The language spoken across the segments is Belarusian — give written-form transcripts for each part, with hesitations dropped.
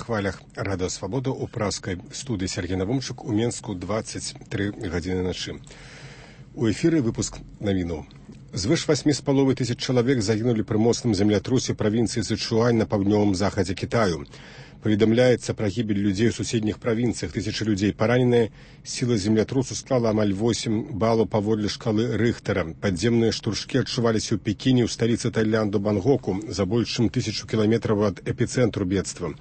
хвалях Радыё Свабода ў праскай студыі Сергей Навумчук у Менску 23 гадзіны начы. У эфіры выпуск навінаў. Звыш 8,5 тысяч чалавек загінулі пры моцным землятрусе правінцыі Сычуань на паўднёвым захадзе Кітаю. Паведамляецца пра гібель людзей у суседніх правінцыях. Тысячы людзей параненыя. Сіла землятрусу склала амаль 8 балаў паводле шкалы Рыхтера. Падземныя штуршкі адчуваліся ў Пекіне, ў сталіцы Таіланду Бангкоку, за больш чым 1000 кіламетраў ад эпіцэнтру бедства.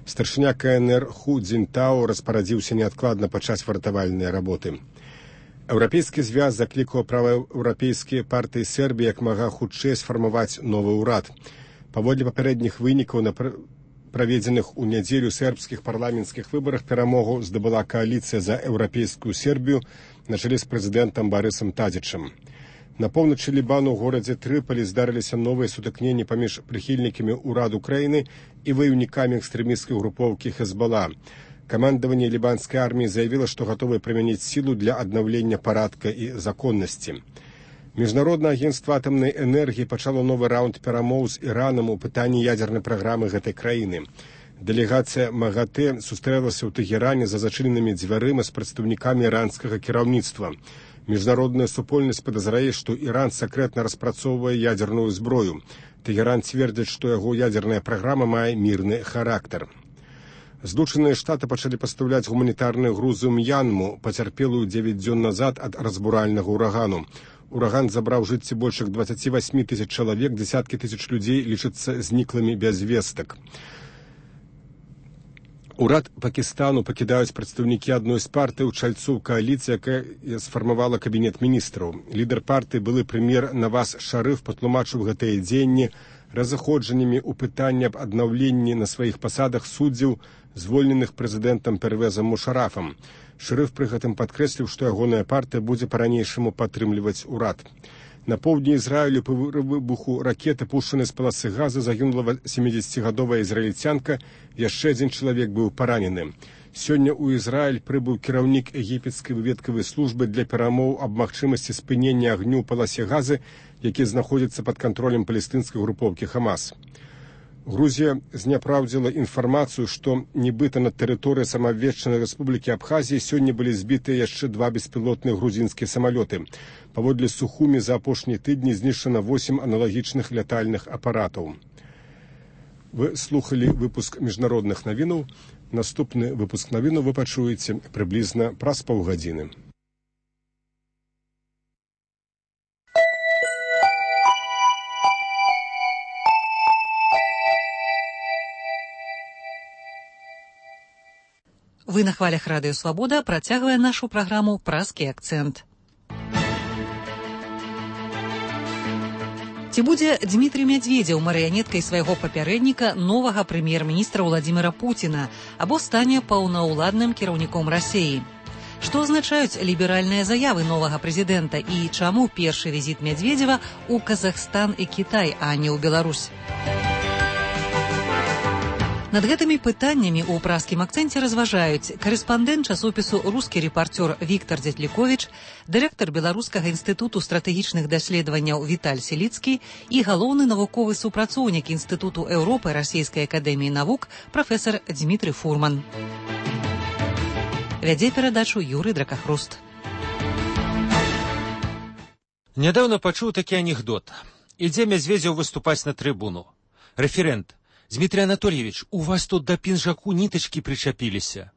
Старшыня КНР Ху Цзінтао распарадзіўся неадкладна пачаць выратавальныя работы. Еўрапейскі звяз заклікаў праеўрапейскія партыі Сербіі як мага хутчэй сфармаваць новы ўрад. Паводле папярэдніх вынікаў на праведзеных у нядзелю сербскіх парламенцкіх выбарах перамогу здабыла кааліцыя за еўрапейскую Сербію на чале з прэзідэнтам Барысам Тадзічам. На поўначы Лібану ў горадзе Трыполі здарыліся новыя сутыкненні паміж прыхільнікамі ўраду краіны і ваяўнікамі экстрэмісцкай групоўкі Хезбала. Камандаванне лібанскай арміі заявіла, што гатовае прымяніць сілу для аднаўлення парадка і законнасці. Міжнароднае агенцтва атамнай энергіі пачало новы раунд перамоў з Іранам у пытанні ядзернай праграмы гэтай краіны. Дэлегацыя МАГАТЭ сустрэлася ў Тэгеране за зачыненымі дзвярыма з прадстаўнікамі іранскага кіраўніцтва. Міжнародная супольнасць падазрае, што Іран сакрэтна распрацоўвае ядзерную зброю. Тэгеран цвердзіць, што яго ядзерная праграма мае мірны характар. Злучаныя Штаты пачалі пастаўляць гуманітарныя грузы ў М'янму, пацярпелую 9 дзён назад ад разбуральнага ўрагану. Ураган забраў жыцці больш як 28 тысяч чалавек, дзесяткі тысяч людзей лічацца зніклымі без вестак. Урад Пакістану пакідаюць прадстаўнікі адной з партый у чальцу кааліцыі, якая сфармавала кабінет міністраў. Лідар партыі, былы прэм'ер Наваз Шарыф, патлумачыў гэтыя дзеянні разыходжаннямі ў пытанні аб аднаўленні на сваіх пасадах суддзяў, звольненых прэзідэнтам Первезам Мушарафам. Шарыф пры гэтым падкрэсліў, што ягоная партыя будзе па-ранейшаму падтрымліваць урад. На поўдні Ізраілю па выбуху ракеты, пушчанай з паласы газа, загінула 70гадовая ізраільцянка, яшчэ адзін чалавек быў паранены. Сёння ў Ізраіль прыбыў кіраўнік егіпецкай выведкавай службы для перамоў аб магчымасці спынення агню ў паласе газы, які знаходзіцца пад кантролем палестынскай групоўкі Хамас. Грузія зняпраўдзіла інфармацыю, што нібыта на тэрыторыі самаабвешчанай рэспублікі Абхазіі сёння былі збітыя яшчэ 2 беспілотныя грузінскія самалёты. Паводле Сухумі за апошнія тыдні знішчана 8 аналагічных лятальных апаратаў. Вы слухалі выпуск міжнародных навінаў. Наступны выпуск навінаў вы пачуеце прыблізна праз паўгадзіны. Вы на хвалях Радыё Свабода, працягвае нашу праграму «Празкі акцэнт». Ці будзе Дмітрый Мядзведзеў марыянеткай свайго папярэдніка, новага прэм'ер-міністра Владзіміра Пуціна, або стане паўнаўладным кіраўніком Расіі? Што азначаюць ліберальныя заявы новага прэзідэнта і чаму першы візіт Мядзведзева ў Казахстан і Кітай, а не ў Беларусь? Над гэтымі пытаннямі ў празкім акцэнце разважаюць карэспандэнт часопісу «Рускі рэпарцёр» Віктар Дзятліковіч, дырэктар Беларускага інстытуту стратэгічных даследаванняў Віталь Селіцкі і галоўны навуковы супрацоўнік Інстытуту Еўропы Расійскай акадэміі навук прафесар Дзмітрый Фурман. Вядзе перадачу Юрый Дракахруст. Нядаўна пачуў такі анекдот. Ідзе Мядзведзеў выступаць на трыбуну. Рэферэнт: «Дмитрий Анатольевич, у вас тут до пінжаку нітачкі прычапіліся».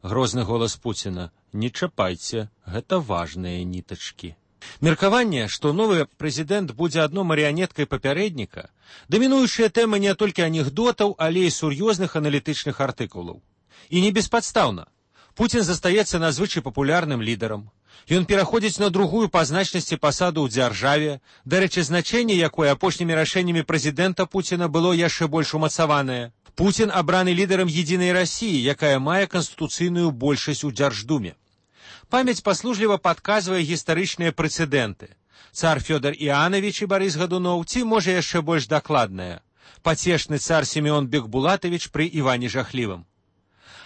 Грозны голас Пуціна: «Не чапайце, гэта важныя нітачкі». Меркаванне, што новы прэзідэнт будзе адно марыянеткай папярэдніка, дамінуючая тэма не толькі анекдотаў, але і сур'ёзных аналітычных артыкулаў. І не беспадстаўна. Пуцін застаецца надзвычай папулярным лідарам. Ён пераходзіць на другую па значнасці пасаду ў дзяржаве, дарэчы, значэнне якой апошнімі рашэннямі прэзідэнта Пуціна было яшчэ больш умацаванае. Пуцін абраны лідарам едзінай Расіі, якая мае канстытуцыйную большасць у Дзярждуме. Памяць паслужліва падказвае гістарычныя прэцэдэнты. Цар Фёдор Іанавіч і Барыс Гадуноў, ці, можа, яшчэ больш дакладная, пацешны цар Сімеон Бекбулатавіч пры Іване Жахлівым.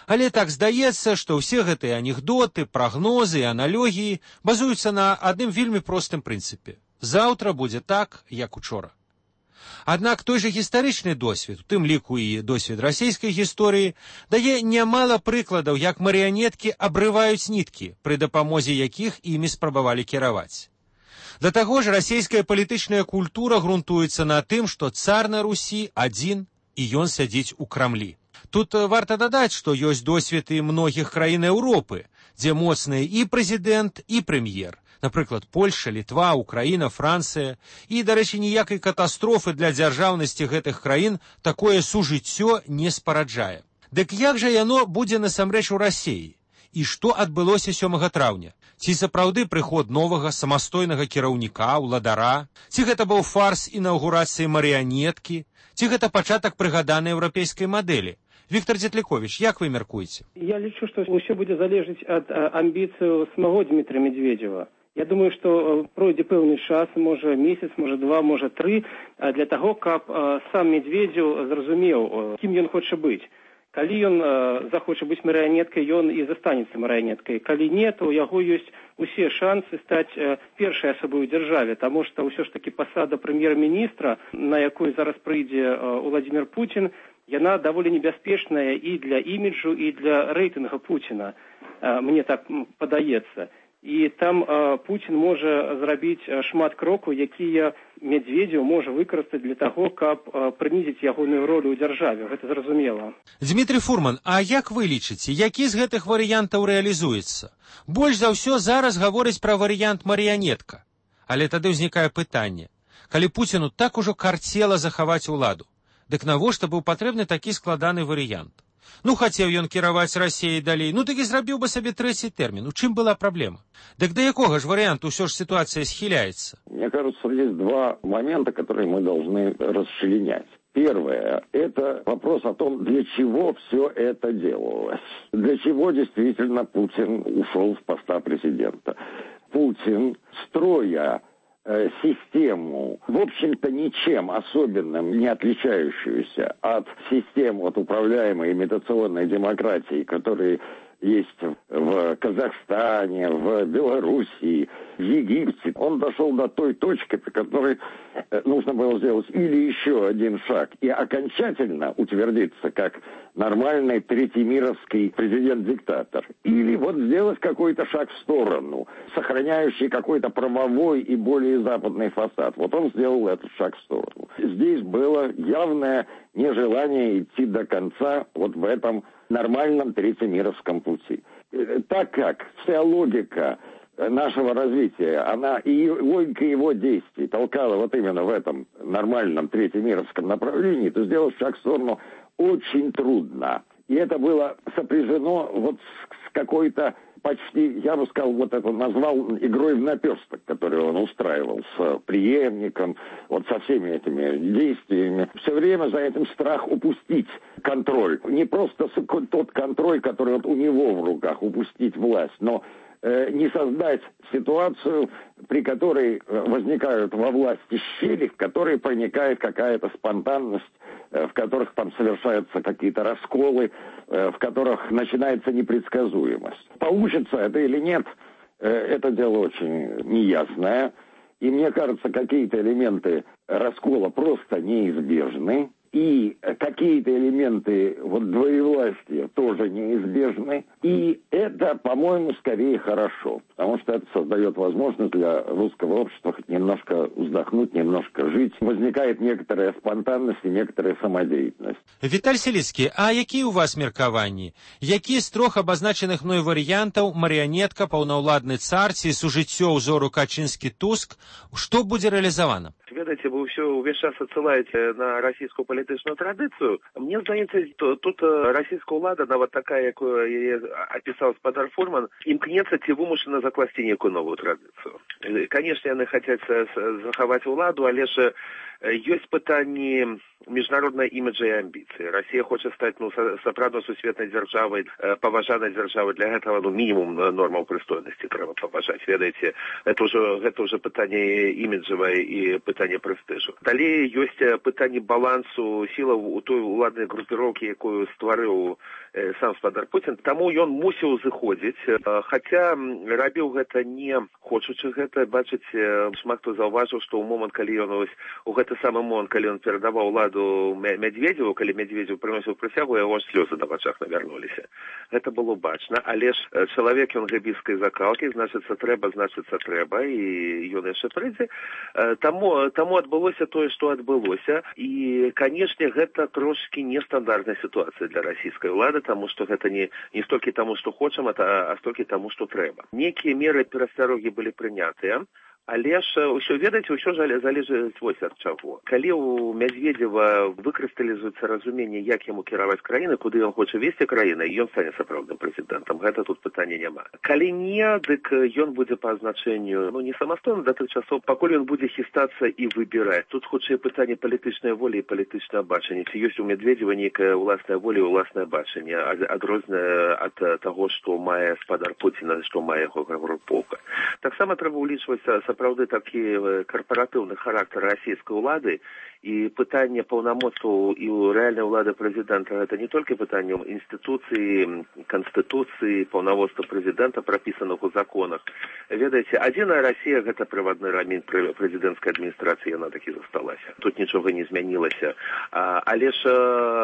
Але так здаецца, што ўсе гэтыя анекдоты, прагнозы і аналогіі базуюцца на адным вельмі простым прынцыпе. Заўтра будзе так, як учора. Аднак той жа гістарычны досвед, у тым ліку і досвед расійскай гісторыі, дае нямала прыкладаў, як марыянеткі абрываюць ніткі, пры дапамозе якіх імі спрабавалі кіраваць. Да таго ж, расійская палітычная культура грунтуецца на тым, што цар на Русі адзін, і ён сядзіць у Крамлі. Тут варта дадаць, што ёсць досвед і многіх краін Еўропы, дзе моцныя і прэзідэнт, і прэм'ер. Напрыклад, Польша, Літва, Украіна, Францыя. І, дарэчы, ніякай катастрофы для дзяржаўнасці гэтых краін такое сужыццё не спараджае. Дык як жа яно будзе насамрэч у Расіі? І што адбылося 7 траўня? Ці сапраўды прыход новага самастойнага кіраўніка, уладара? Ці гэта быў фарс інаўгурацыі марыянеткі? Ці гэта пачатак прыгаданай еўрапейскай мадэлі? Віктор Дзетліковіч, як вы мяркуеце? Я лічу, што ўсё будзе залежаць ад амбіцыяў самого Дмітрия Медведева. Я думаю, што пройдзе пэўны час, можа месяц, можа 2, можа 3, для таго, каб сам Медведев зразумеў, кім ён хоча быць. Калі ён захоча быць марыянеткай, ён і застанецца марыянеткай. Калі не, то у яго ёсць усе шансы стаць першай асобай у дзяржаве, таму што ўсё ж такі пасада прэм'ер-міністра, на якой зараз прыйдзе Владимир Путин, яна даволі небяспечная і для іміджу, і для рэйтынга Путина, мне так падаецца. І там Путін можа зрабіць шмат крокаў, якія Медведев можа выкарыстаць для таго, каб прынізіць ягоную ролю ў дзяржаве. Гэта зразумела. Дмітрий Фурман, а як вы лічыце, які з гэтых варыянтаў рэалізуецца? Больш за ўсё зараз гаворыць пра варыянт марыянетка. Але тады ўзнікае пытанне. Калі Пуціну так ужо карцела захаваць уладу, дык навошта быў патрэбны такі складаны варыянт? Ну, хацеў ён кіраваць Расіяй далей, ну так і зрабіў бы сабе 3-й тэрмін. У чым была праблема? Дык да якога ж варианту ўсё ж ситуация схиляется? Мне кажется, есть два момента, которые мы должны расчленять. Первое – это вопрос о том, для чего все это делалось. Для чего действительно Путин ушел с поста президента. Путин, строя систему, в общем-то, ничем особенным не отличающуюся от систем управляемой имитационной демократии, которые есть в Казахстане, в Белоруссии, в Египте. Он дошел до той точки, при которой нужно было сделать или еще один шаг и окончательно утвердиться как нормальный третьемировский президент-диктатор, или вот сделать какой-то шаг в сторону, сохраняющий какой-то правовой и более западный фасад. Вот он сделал этот шаг в сторону. Здесь было явное нежелание идти до конца вот в этом нормальном третьемировском пути. Так как вся логика нашего развития, она и логика его действий толкала вот именно в этом нормальном третьемировском направлении, то сделать шаг в сторону очень трудно. И это было сопряжено вот с какой-то почти, я бы сказал, вот это назвал игрой в наперсток, которую он устраивал с преемником, вот со всеми этими действиями. Все время за этим страх упустить контроль. Не просто тот контроль, который вот у него в руках, упустить власть, но не создать ситуацию, при которой возникают во власти щели, в которые проникает какая-то спонтанность, в которых там совершаются какие-то расколы, в которых начинается непредсказуемость. Получится это или нет, это дело очень неясное. И мне кажется, какие-то элементы раскола просто неизбежны. И какие-то элементы вот двоевластия тоже неизбежны. И это, по-моему, скорее хорошо, потому что это создает возможность для русского общества хоть немножко вздохнуть, немножко жить. Возникает некоторая спонтанность и некоторая самодеятельность. Віталь Селіцкі, а які у вас меркаванні? Які з трох абазначеных мной варыянтаў марыянетка, паўнаўладны цар ці сужыццё ўзору Качынскі-Туск, што будзе рэалізавана? Ведаеце, вы ўсё ўвесь час адсылаеце на расійскую палітычную традыцыю. Мне здаецца, тут расійская ўлада, нават такая, якую яе апісаў спадар Фурман, імкнецца ці вымушана закласці некую новую традыцыю. Канешне, яны хацяць захаваць уладу, але ж ёсць пытанні міжнароднай іміджа і амбіцыі. Расія хоча стаць сапраўдна сусветнай дзяржавай, паважанай дзяржавай. Для гэтага мінімум нормаў прыстойнасці трэба паважаць. Ведаеце, гэта ўжо пытанне іміджавае і пытанне пытанне прэстыжу. Далей ёсць пытанне балансу сілаў у той уладнай групіроўкі, якую стварыў сам спадар Пуцін. Таму ён мусіў зыходзіць, хаця рабіў гэта не хочучы гэта. Бачыць, шмат хто заўважыў, што ў момант, калі ён у гэты самы момант, калі ён перадаваў уладу Медведзеву, калі Медведзев прыносіў прысягу, яго слёзы на вачах навярнуліся. Гэта было бачна, але ж чалавек ён гэбіскай закалкі, значыцца трэба, і ён яшчэ прыйдзе. Таму адбылося тое, што адбылося, і, канешне, гэта трошкі нестандартная сітуацыя для расійскай улады, таму што гэта не столькі таму, што хочам, а столькі таму, што трэба. Некія меры перасцярогі былі прынятыя, але ж ўсё, ведаеце, ўсё залежыць вось ад чаго. Калі у Медведзева выкрысталізуецца разуменне, як яму кіраваць краіны, куды ён хоча весці краіны, ён стане сапраўдным прэзідэнтам. Гэта тут пытання няма. Калі не, дык ён будзе па азначэнню, не самастойна да тых часоў, пакуль ён будзе хістацца і выбіраць. Тут хутчэй пытанне палітычнай волі і палітычнага бачання. Ці ёсць у Медведзева нейкая ўласная воля і ўласнае бачанне, адрознае ад таго, што мае спадар Пуціна, што мае яго групоўка. Таксама трэба ўлічваць сапраўды такі карпаратыўны характар расійскай улады, і пытанне паўнамоцтваў і рэальнай улады прэзідэнта гэта не толькі пытанне інстытуцыі, канстытуцыі, паўнамоцтва прэзідэнта, прапісаных у законах. Ведаеце, адзіная Расія гэта прыватны рамень прэзідэнцкай адміністрацыі, яна такі засталася. Тут нічога не змянілася. Але ж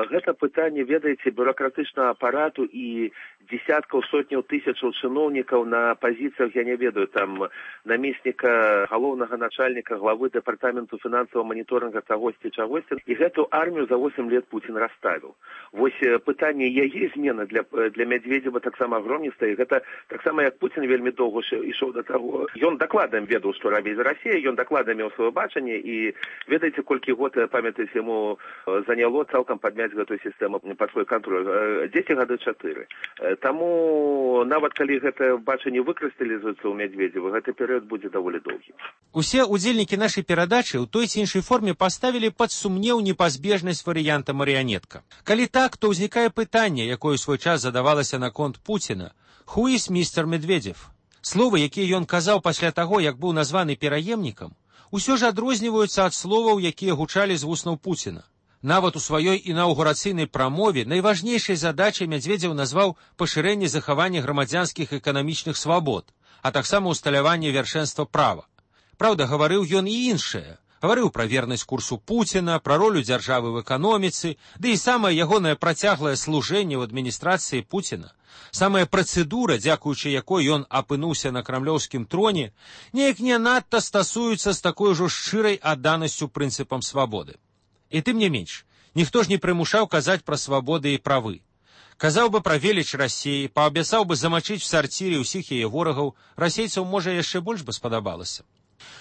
гэта пытанне, ведаеце, бюракратычнага апарату і десяткаў, сотняў тысячаў чыноўнікаў на пазіцыях, я не ведаю, там намесніка галоўнага начальніка, главы дэпартаменту фінансавага маніторинга чагосьці, і гэту армію за 8 лет Путін расставіў. Вось пытанне яе змены для Медведзева таксама агромністае, і гэта таксама як Путін вельмі доўга ішоў да таго. Ён дакладна ведаў, што рабіць з Расіяй, ён дакладна меў сваё бачанне, і ведаеце, колькі год, памятаеце, яму заняло цалкам падняць гэтую сістэму пад свой кантроль. 10 гады 4. Таму нават калі гэта бачанне выкрысталізуецца ў Медведзева, гэты перыяд будзе даволі доўгі. Усе удзельнікі нашай перадачы ў той ці іншай форме паставілі пад сумнеў непазбежнасць варыянта марыянетка. Калі так, то ўзнікае пытанне, якое ў свой час задавалася наконт Пуціна: «Who is Mr. Медведзев?» Словы, якія ён казаў пасля таго, як быў названы пераемнікам, усё ж адрозніваюцца ад словаў, якія гучалі з вуснаў Пуціна. Нават у сваёй інаўгурацыйнай прамове найважнейшай задачай Медведзев назваў пашырэнне захавання грамадзянскіх эканамічных свабод, а таксама ўсталяванне вяршэнства права. Праўда, гаварыў ён і іншае. Гаварыў пра вернасць курсу Пуціна, пра ролю дзяржавы ў эканоміцы, ды і самае ягонае працяглае служэнне ў адміністрацыі Пуціна. Самая працэдура, дзякуючы якой ён апынуўся на крамлёўскім троне, неяк не надта стасуецца з такой ужо шчырай адданасцю прынцыпам свабоды. І тым не менш, ніхто ж не прымушаў казаць пра свабоды і правы. Казаў бы пра веліч Расіі, паабяцаў бы замачыць в сарцірі ўсіх яе ворагаў, расейцаў, можа, яшчэ больш бы спадабалася.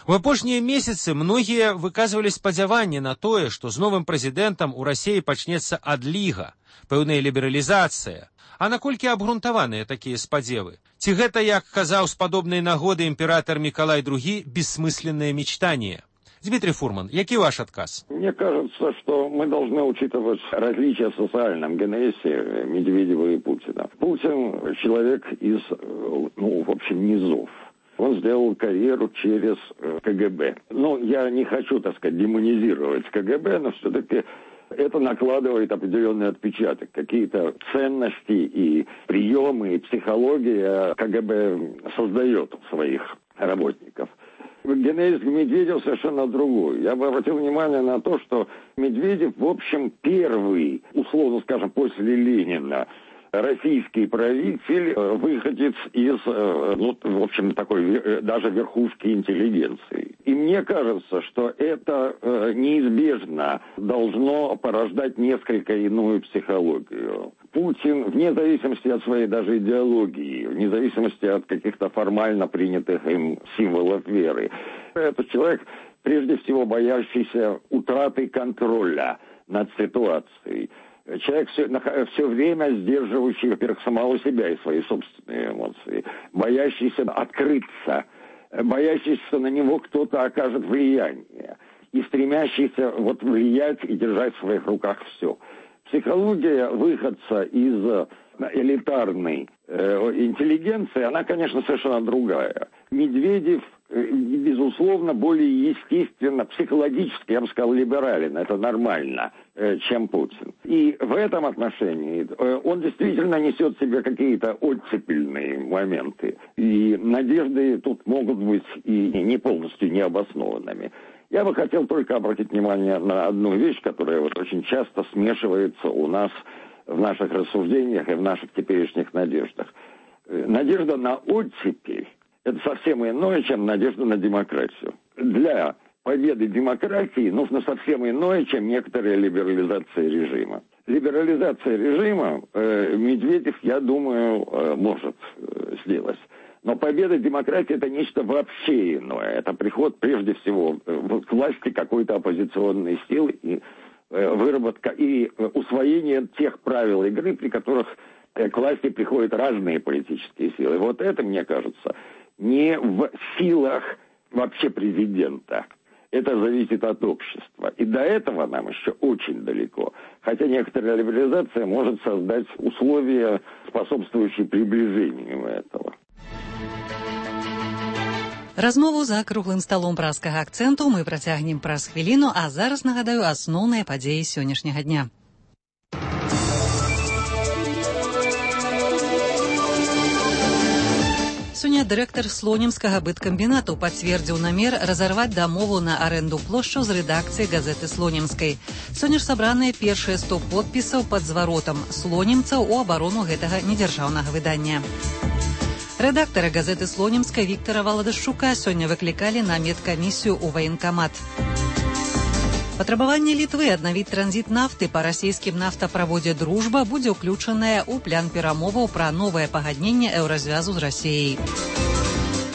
У апошнія месяцы многія выказвалі спадзяванне на тое, што з новым прэзідэнтам у Расіі пачнецца адліга, пэўная лібералізацыя. А наколькі абгрунтаваныя такія спадзевы? Ці гэта, як казаў з падобнай нагоды імператор Миколай II, бессмысленное мечтание? Дмитрий Фурман, який ваш отказ? Мне кажется, что мы должны учитывать различия в социальном генезе Медведева и Путина. Путин человек из, в общем, низов. Он сделал карьеру через КГБ. Я не хочу, так сказать, демонизировать КГБ, но все-таки это накладывает определенный отпечаток. Какие-то ценности и приемы, и психология КГБ создает у своих работников. Генез Медведев совершенно другой. Я бы обратил внимание на то, что Медведев, в общем, первый, условно скажем, после Ленина, российский правитель, выходец из, в общем, такой даже верхушки интеллигенции. И мне кажется, что это неизбежно должно порождать несколько иную психологию. Путин, вне зависимости от своей даже идеологии, вне зависимости от каких-то формально принятых им символов веры, это человек, прежде всего, боящийся утраты контроля над ситуацией. Человек все время сдерживающий, во-первых, самого себя и свои собственные эмоции, боящийся открыться, боящийся на него кто-то окажет влияние и стремящийся влиять и держать в своих руках все. Психология выходца из элитарной интеллигенции, она, конечно, совершенно другая. Медведев безусловно, более естественно, психологически, я бы сказал, либерален, это нормально, чем Путин. И в этом отношении он действительно несет в себе какие-то оттепельные моменты. И надежды тут могут быть и не полностью необоснованными. Я бы хотел только обратить внимание на одну вещь, которая вот очень часто смешивается у нас в наших рассуждениях и в наших теперешних надеждах. Надежда на оттепель – это совсем иное, чем надежда на демократию. Для победы демократии нужно совсем иное, чем некоторая либерализация режима. Либерализация режима Медведев, я думаю, может сделать. Но победа демократии – это нечто вообще иное. Это приход, прежде всего, к власти какой-то оппозиционной силы и выработка и усвоение тех правил игры, при которых к власти приходят разные политические силы. Вот это, мне кажется, не в силах вообще президента. Это зависит от общества. И до этого нам еще очень далеко. Хотя некоторая либерализация может создать условия, способствующие приближению этого. Размову за круглым сталом праскага акцэнту мы працягнем праз хвіліну, а зараз нагадаю асноўныя падзеі сённяшняга дня. Сёння дырэктар слонімскага быткамбінату пацвердзіў намер разарваць дамову на арэнду плошчаў з рэдакцыяй газеты слонімскай. Сёння ж сабраныя першыя 100 подпісаў пад зваротам слонімцаў у абарону гэтага недзяржаўнага выдання. Рэдактара газеты слонімскай Віктара Валадашчука сёння выклікалі на медкамісію ў ваенкамат. Патрабаванне Літвы аднавіць транзіт нафты па расійскім нафтаправодзе «Дружба» будзе ўключанае ў план перамоваў пра новае пагадненне еўразвязу з Расіяй.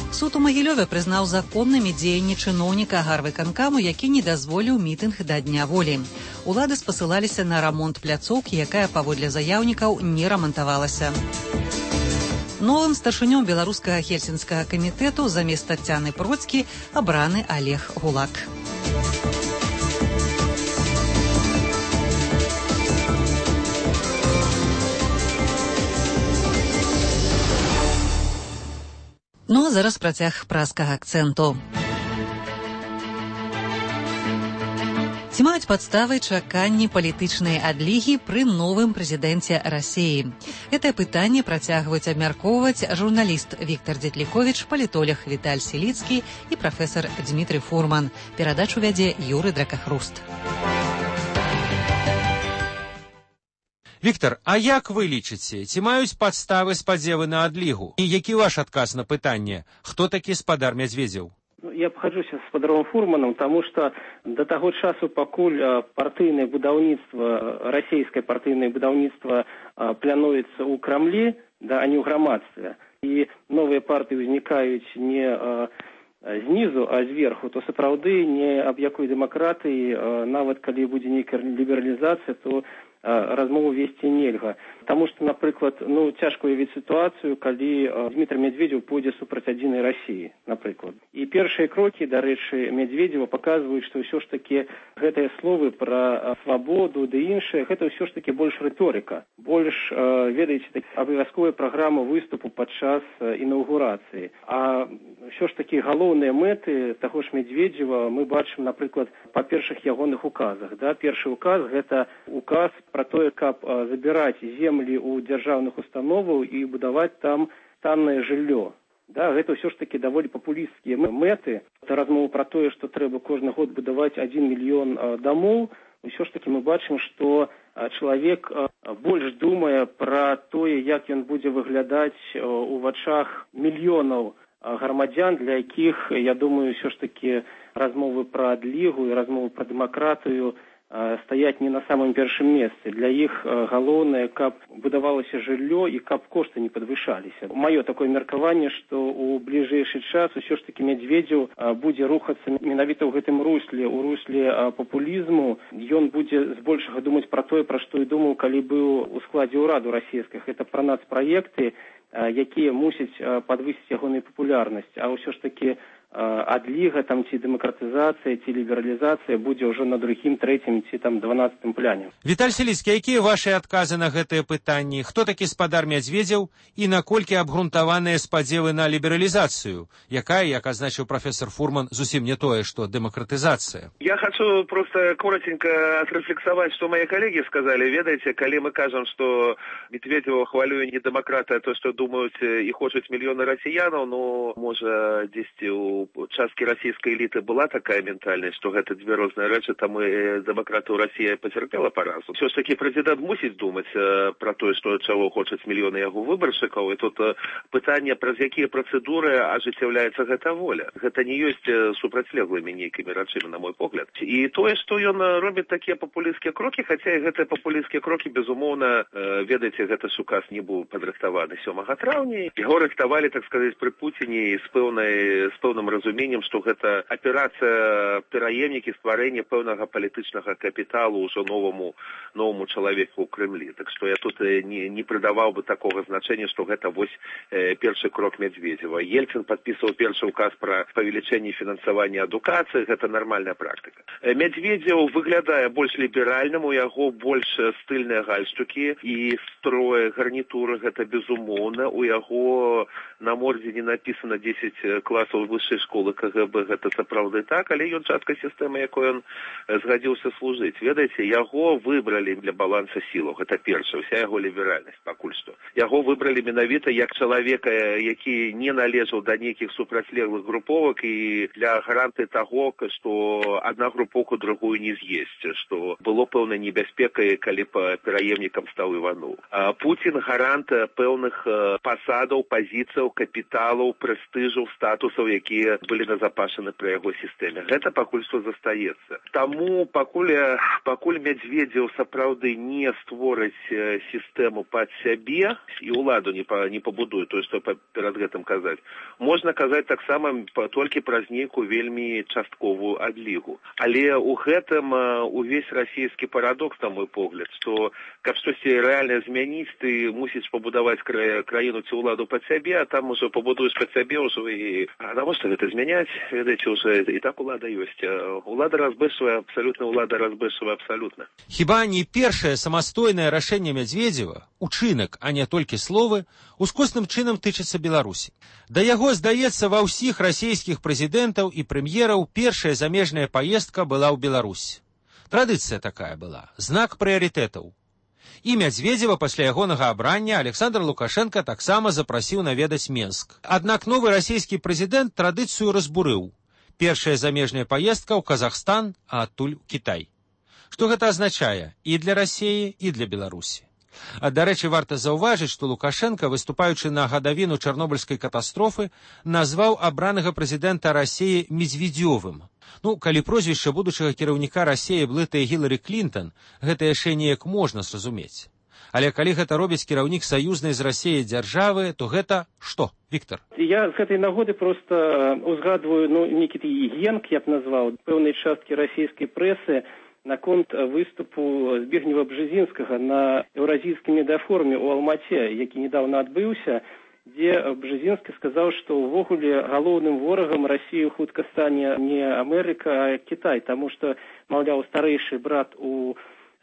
Суд у Магілёве прызнаў законнымі дзеянні чыноўніка гарвыканкаму, які не дазволіў мітынг да Дня волі. Улады спасылаліся на рамонт пляцоўкі, якая, паводле заяўнікаў, не рамантавалася. Новым старшынём беларускага хельсінскага камітэту замест Таццяны Процкі абраны Олег Гулак. Ну а зараз працяг праскага акцэнту. Ці маюць падставы чаканні палітычнай адлігі пры новым прэзідэнце Расіі? Гэтае пытанне працягваюць абмяркоўваць журналіст Віктар Дзетліковіч, палітолог Віталь Селіцкі і прафесар Дмітрый Фурман. Перадачу вядзе Юры Дракахруст. Віктор, а як вы лічыце, ці маюць падставы спадзевы на адлігу? І які ваш адказ на пытанне, хто такі спадар Мядзведзеў? Я погоджуся з спадаром Фурманом, тому що до того часу, пакуль партыйнае будаўніцтва, расійскае партыйнае будаўніцтва плануецца ў Крамлі, да, а не ў грамадстве, і новыя партыі ўзнікаюць не знізу, а зверху, то сапраўды не аб якой дэмакратыі, нават калі будзе нейкая лібералізацыя, то размову весці нельга. Таму што, напрыклад, цяжка уявіць сітуацыю, калі Дмітрий Медведев пойдзе супраць адзінай Расіі, напрыклад. І першыя крокі, дарэчы, Медведева паказваюць, што ўсё ж такі гэтыя словы пра свабоду ды іншае, гэта ўсё ж такі больш рыторыка. Больш, ведаеце, абавязковая праграма выступу падчас інаўгурацыі. А ўсё ж такі галоўныя мэты таго ж Медведева мы бачым, напрыклад, па першых ягоных указах. Да? Першы указ – гэта указ про тое, каб забіраць землі ў дзяржаўных установаў і будаваць там таннае жыллё. Да, гэта ўсё ж такі даволі папулісцкія мэты. Это размова про тое, што трэба кожны год будаваць 1 мільён дамоў. Усё ж такі мы бачым, што чалавек больш думае пра тое, як ён будзе выглядаць у вачах мільёнаў грамадзян, для якіх, я думаю, ўсё ж такі размовы пра адлігу і размовы пра дэмакратыю стаяць не на самым першым месцы. Для іх галоўнае, каб будавалася жыллё і каб кошты не падвышаліся. Маё такое меркаванне, што ў бліжэйшы час усё ж такі Медведзеў будзе рухацца менавіта ў гэтым русле, у русле папулізму. Ён будзе збольшага думаць пра тое, пра што і думаў, калі быў у складзе ўраду расійскіх. Гэта пра нацпраекты, якія мусяць падвысіць ягоную папулярнасць. А ўсё ж такі адліга там ці дэмакратызацыя, ці лібералізацыя будзе ўжо на другім, трэцім ці там 12-м пляне. Віталь Селіцкі, якія вашы адказы на гэтыя пытанні? Хто такі спадар Мядзведзеў і наколькі абгрунтаваныя спадзевы на лібералізацыю, якая, як азначыў прафесор Фурман, зусім не тое, што дэмакратызацыя? Я хочу просто коротенько отрефлексовать, что мои коллеги сказали. Ведаете, коли мы кажем, что Медведева хвалює не демократы, а то, что думают и хочут миллионы россиян, ну, может, 10 у частки российской элиты была такая ментальность, что это две разные речи, там и демократу Россия потерпела поразу. Все ж таки президент мусить думать про то, что чего хочет миллионы его выборщиков, и тут питание, про какие процедуры оживляется эта воля. Это не есть супрацьлеглыми некими речами, на мой погляд. И то, что он робит такие популистские кроки, хотя и эти популистские кроки, безумовно, ведаете, это ж указ не был подрыхтованы 7 травня. Его рыхтовали, так сказать, при Путине с певным разумением, что это операция пераемники стварения певного политического капитала уже новому человеку в Кремле. Так что я тут не придавал бы такого значения, что это вот первый крок Медведева. Ельцин подписывал первый указ про увеличение финансования адукации, это нормальная практика. Медведев, выглядая больше либеральным, у него больше стильные гальштуки и строе гарнитуры, это безумовно. У него на морде не написано 10 классов высшей школы КГБ, это сапраўды так, але ён частка системы, якой он згадзіўся служить. Ведаете, его выбрали для баланса силов, это первое, вся его либеральность, покуль что. Его выбрали менавіта як человека, які не належал до неких супрацьлеглых групповок и для гаранты того, что одна групповка другую не съесть, что было пэўнай небяспекай, калі по пераемникам стал Иванов. А Путин гарант пэўных посадов, позиций, капиталов, престижу, статусов, якія были назапашаны при его системе. Это покуль что застаецца. Тому покуль Медведев сапраўды не створыць систему под сябе и уладу не побудуе, то, что перед гэтым казаць. Можно казаць таксама толькі праз нейкую вельмі частковую адлігу. Але у гэтым увесь расійскі парадокс, на мой погляд, что каб штосьці рэальна змяніць, ты мусіш пабудаваць краіну ці ўладу пад сябе, а там уже пабудуеш пад сябе ўжо і навошта гэта змяняць? Ведаеце, уже і так улада ёсць. Улада разбэшвае абсалютна, улада разбэшвае абсалютна. Хіба не першае самастойнае рашэнне Мядзведзева, учынак, а не толькі словы, ускосным чынам тычыцца Беларусі. Да яго, здаецца, ва ўсіх расійскіх прэзідэнтаў і прэм'ераў першая замежная паездка была ў Беларусь. Традыцыя такая была, знак прыярытэтаў. І Мядзведзева пасля ягонага абрання Александр Лукашенко таксама запрасіў наведаць Менск. Аднак новы расійскі прэзідэнт традыцыю разбурыў. Першая замежная паездка ў Казахстан, а адтуль у Кітай. Што гэта азначае і для Расіі, і для Беларусі? Дарэчы, варта заўважыць, што Лукашенко, выступаючы на гадавіну Чарнобыльскай катастрофы, назваў абранага прэзідэнта Расіі Медведзёвым. Калі прозвішча будучага кіраўніка Расіі блытае Гілары Клінтон, гэта яшчэ неяк можна зразумець. Але калі гэта робіць кіраўнік саюзнай з Расіяй дзяржавы, то гэта што, Віктор? Я з гэтай нагоды просто узгадваю нейкі генк, я б назваў, пэўнай часткі расійскай прэсы наконт выступу Збігнева Бжезінскага на еўразійскім медыафоруме ў Алмаце, які недавно адбыўся, дзе Бжезінскі сказаў, што ўвогуле галоўным ворагам Расіі хутка стане не Амерыка, а Кітай, таму што, маўляў, старэйшы брат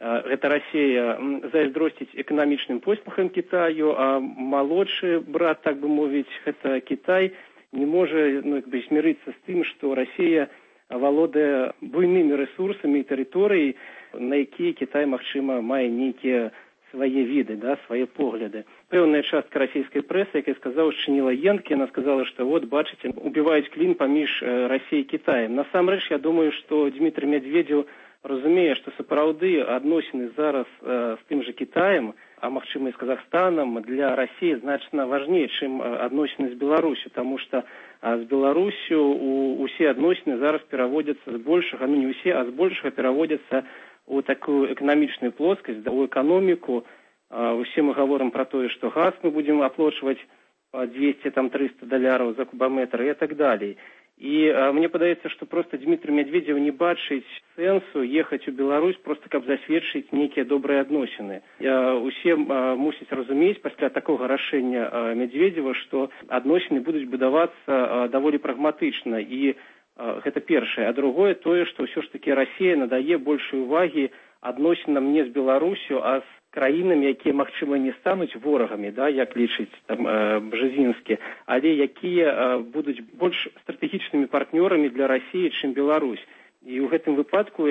гэта Расія зайздросціць эканамічным поспехам Кітаю, а малодшы брат, так бы мовіць, гэта Кітай, не можа змірыцца з тым, што Расія валодае буйнымі рэсурсамі і тэрыторыяй, на якія Кітай, магчыма, мае нейкія свае віды, свае погляды. Пэўная частка расійскай прэсы, якая сказала, шчыніла енкі, яна сказала, што бачыце, убіваюць клін паміж Расіяй і Кітаем. Насамрэч, я думаю, што Дмітрий Медведзев разумее, што сапраўды адносіны зараз з тым жа Кітаем, а магчыма і з Казахстанам, для Расіі значна важней, чым адносіны з Беларусю, таму што з Беларусю усе адносіны зараз пераводзяцца з большага, не ўсе, а з большага пераводзяцца у такую эканамічную плоскасць, у эканоміку. Усе мы гаворым пра тое, што газ мы будзем аплачваць $200-300 за кубаметр і так далей. І мне падаецца, што проста Дмітрий Медведев не бачыць сэнсу ехаць у Беларусь проста каб засведчыць нейкія добрыя адносіны. Усе мусяць разумець пасля такога рашэння Медведева, што адносіны будуць будавацца даволі прагматычна. І гэта першае. А другое тое, што ўсё ж такі Расія надае большай увагі адносінам не з Беларусю, а з краінамі, якія, магчыма, не стануць ворагамі, да, як лічыць там Бжезінскі, але якія будуць больш стратэгічнымі партнёрамі для Расіі, чым Беларусь. І ў гэтым выпадку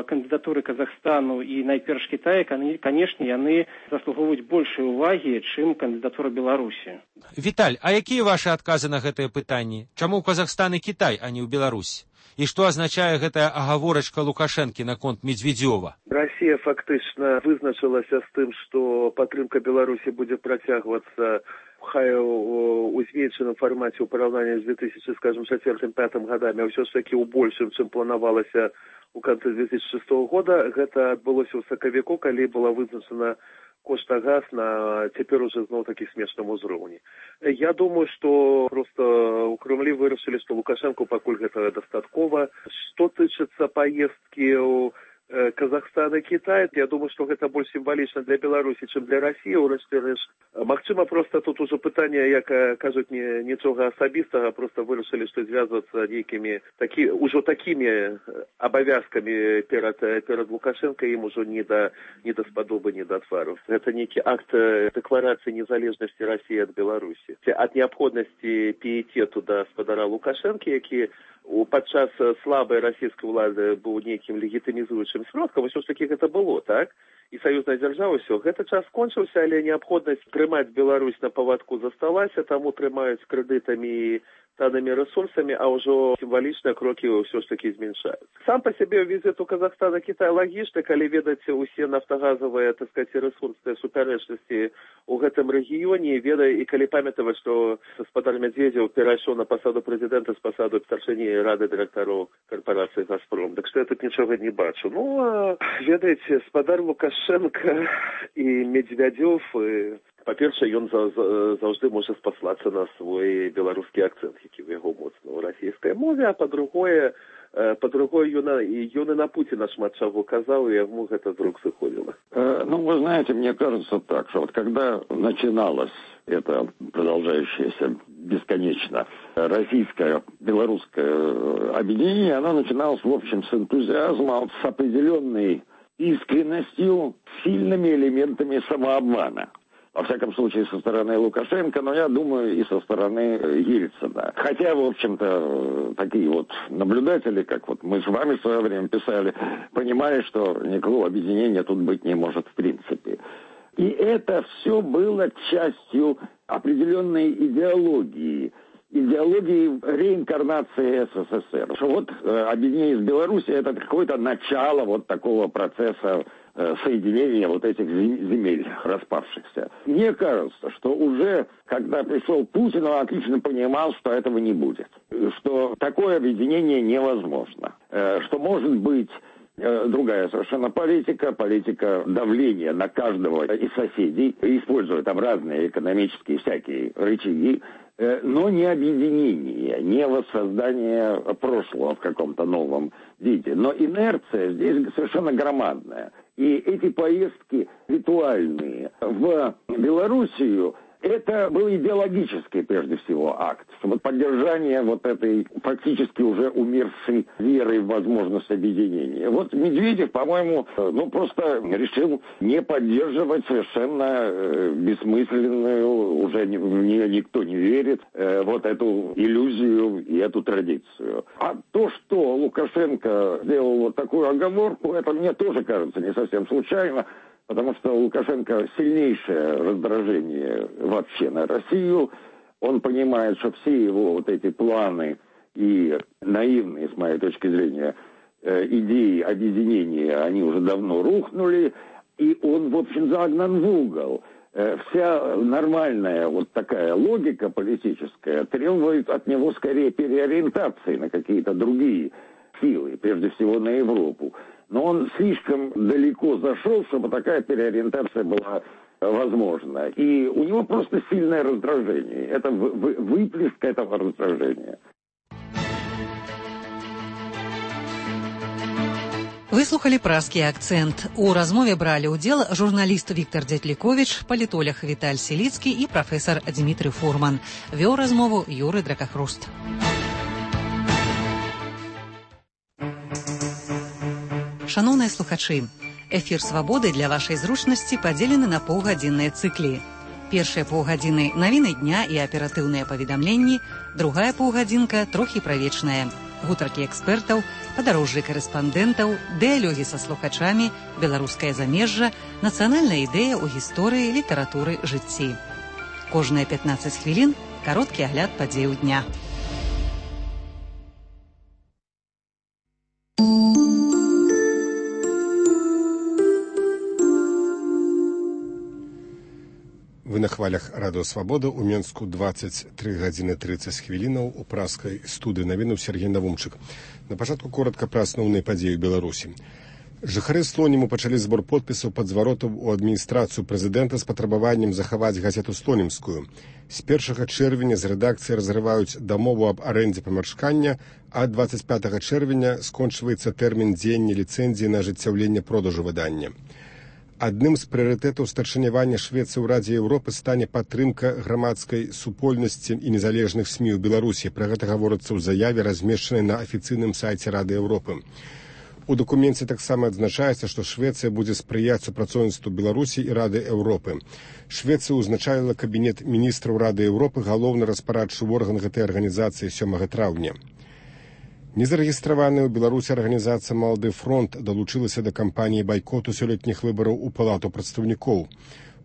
кандыдатуры Казахстану і найперш Кітая, канешне, яны заслугоўваюць большай увагі, чым кандыдатура Беларусі. Віталь, а якія вашы адказы на гэтыя пытанні? Чаму Казахстан і Кітай, а не ў Беларусь? І што азначае гэтая агаворачка Лукашэнкі наконт Медведзёва? Расія фактычна вызначылася з тым, што падтрымка Беларусі будзе працягвацца хай у зменшаным фармаце ў параўнанні з 2004-2005 годамі, а ўсё ж такі ў большым, чым планавалася ў канцы 2006 года. Гэта адбылося ў сакавіку, калі была вызначана кошт на газ на цяпер уже зноў-такі смешным узроўні. Я думаю, што проста ў Кремлі вырашылі, што Лукашэнку пакуль гэтага дастаткова. Што тычыцца паездкі ў Казахстан і Кітай, я думаю, што гэта больш сімвалічна для Беларусі, чым для Расіі. Магчыма, проста тут ужо пытанне, як кажуць, нічога асабістага, проста вырашылі, што звязвацца нейкімі ужо такімі абавязкамі перад Лукашенко, ім ужо не да спадобы, не да твару. Гэта нейкі акт дэкларацыі незалежнасці Расіі ад Беларусі. Ад неабходнасці піетету да спадара Лукашэнкі, які падчас слабай расійскай улады быў нейкім легітымізуючым сродкам, усё ж такі гэта было, так? І саюзная дзяржава, ўсё. Гэты час скончыўся, але неабходнасць трымаць Беларусь на павадку засталася, таму трымаюць крэдытамі і таннымі рэсурсамі, а ўжо сімвалічныя крокі ўсё ж такі зменшаюць. Сам па сябе візіт у Казахстан і Кітай лагічны, калі ведаць усе нафтагазавыя, так сказаць, рэсурсныя супярэчнасці ў гэтым рэгіёне, і калі памятаваць, што гаспадар Медведзев перайшоў на пасаду прэзідэнта з пасаду старшыні рады дырэктароў карпорацыі «Газпром». Так што я тут нічога не бачу. Ну, ведаеце, спадар Лукашенко і Медведзев, па-першае, ён заўжды можа спаслацца на свой беларускі акцэнт, які ў яго моцна ў расійскай мове, а па-другое, ён и на Путина шмат чего казал, и ему это вдруг заходило. Ну, вы знаете, мне кажется так, что вот когда начиналось это продолжающееся бесконечно российское, белорусское объединение, оно начиналось, в общем, с энтузиазма, с определенной искренностью, сильными элементами самообмана. Во всяком случае, со стороны Лукашенко, но я думаю, и со стороны Ельцина. Хотя, в общем-то, такие вот наблюдатели, как вот мы с вами в свое время писали, понимали, что никакого объединения тут быть не может в принципе. И это все было частью определенной идеологии реинкарнации СССР. Что вот объединение с Белоруссией — это какое-то начало вот такого процесса соединения вот этих земель распавшихся. Мне кажется, что уже когда пришел Путин, он отлично понимал, что этого не будет, что такое объединение невозможно, что может быть другая совершенно политика давления на каждого из соседей, используя там разные экономические всякие рычаги, но не объединение, не воссоздание прошлого в каком-то новом виде. Но инерция здесь совершенно громадная. И эти поездки ритуальные в Белоруссию, это был идеологический, прежде всего, акт. Чтобы поддержание вот этой фактически уже умершей веры в возможность объединения. Вот Медведев, по-моему, просто решил не поддерживать совершенно бессмысленную, уже в нее никто не верит, вот эту иллюзию и эту традицию. А то, что Лукашенко сделал вот такую оговорку, это мне тоже кажется не совсем случайно. Потому что у Лукашенко сильнейшее раздражение вообще на Россию. Он понимает, что все его вот эти планы и наивные, с моей точки зрения, идеи объединения, они уже давно рухнули. И он, в общем, загнан в угол. Вся нормальная вот такая логика политическая требует от него скорее переориентации на какие-то другие силы, прежде всего на Европу. Но он слишком далеко зашел, чтобы такая переориентация была возможна. И у него просто сильное раздражение. Это выплеск этого раздражения. Выслухалі празкі акцэнт. У размове бралі ўдзел журналіст Віктор Дзятліковіч, палітолог Віталь Селіцкі і прафесар Дмітрый Фурман. Вёў размову Юры Дракахруст. Шаноўныя слухачы, эфір «Свабоды» для вашай зручнасці падзелены на паўгадзінныя цыклі. Першыя паўгадзіны навіны дня і аператыўныя паведамленні, другая паўгадзінка трохі правечная. Гутаркі экспертаў, падарожжы карэспандэнтаў, дыялогі са слухачамі, беларускае замежжа, нацыянальная ідэя ў гісторыі, літаратуры, жыцці. Кожныя 15 хвілін кароткі агляд падзеяў дня. Вы на хвалях радыё «Свабода» у Менску 23 гадзіны 30 хвілінаў у праскай студыі навінаў Сергей Навумчык. На пачатку коротка пра асноўныя падзеі ў Беларусі. Жыхары Слоніму пачалі збор подпісаў пад зваротам у адміністрацыю прэзідэнта з патрабаваннем захаваць газету «Слонімскую». З 1 чэрвеня з рэдакцыі разрываюць дамову аб арэндзе памяшкання, а 25 чэрвеня скончваецца тэрмін дзеяння ліцэнзіі на ажыццяўленне продажу выдання. Адным з прыярытэтаў старшынявання Швецыі ў Радзе Еўропы стане падтрымка грамадскай супольнасці і незалежных СМІ ў Беларусі. Пра гэта гаворыцца ў заяве, размешчанай на афіцыйным сайце Рады Еўропы. У дакуменце таксама адзначаецца, што Швецыя будзе спрыяць супрацоўніцтву Беларусі і Рады Еўропы. Швецыя ўзначаліла кабінет міністраў Рады Еўропы, галоўны распарадчы орган гэтай арганізацыі 7 траўня. Незарэгістраваная ў Беларусі арганізацыя «Малады фронт» далучылася да кампаніі байкоту сёлетніх выбараў у Палату прадстаўнікоў.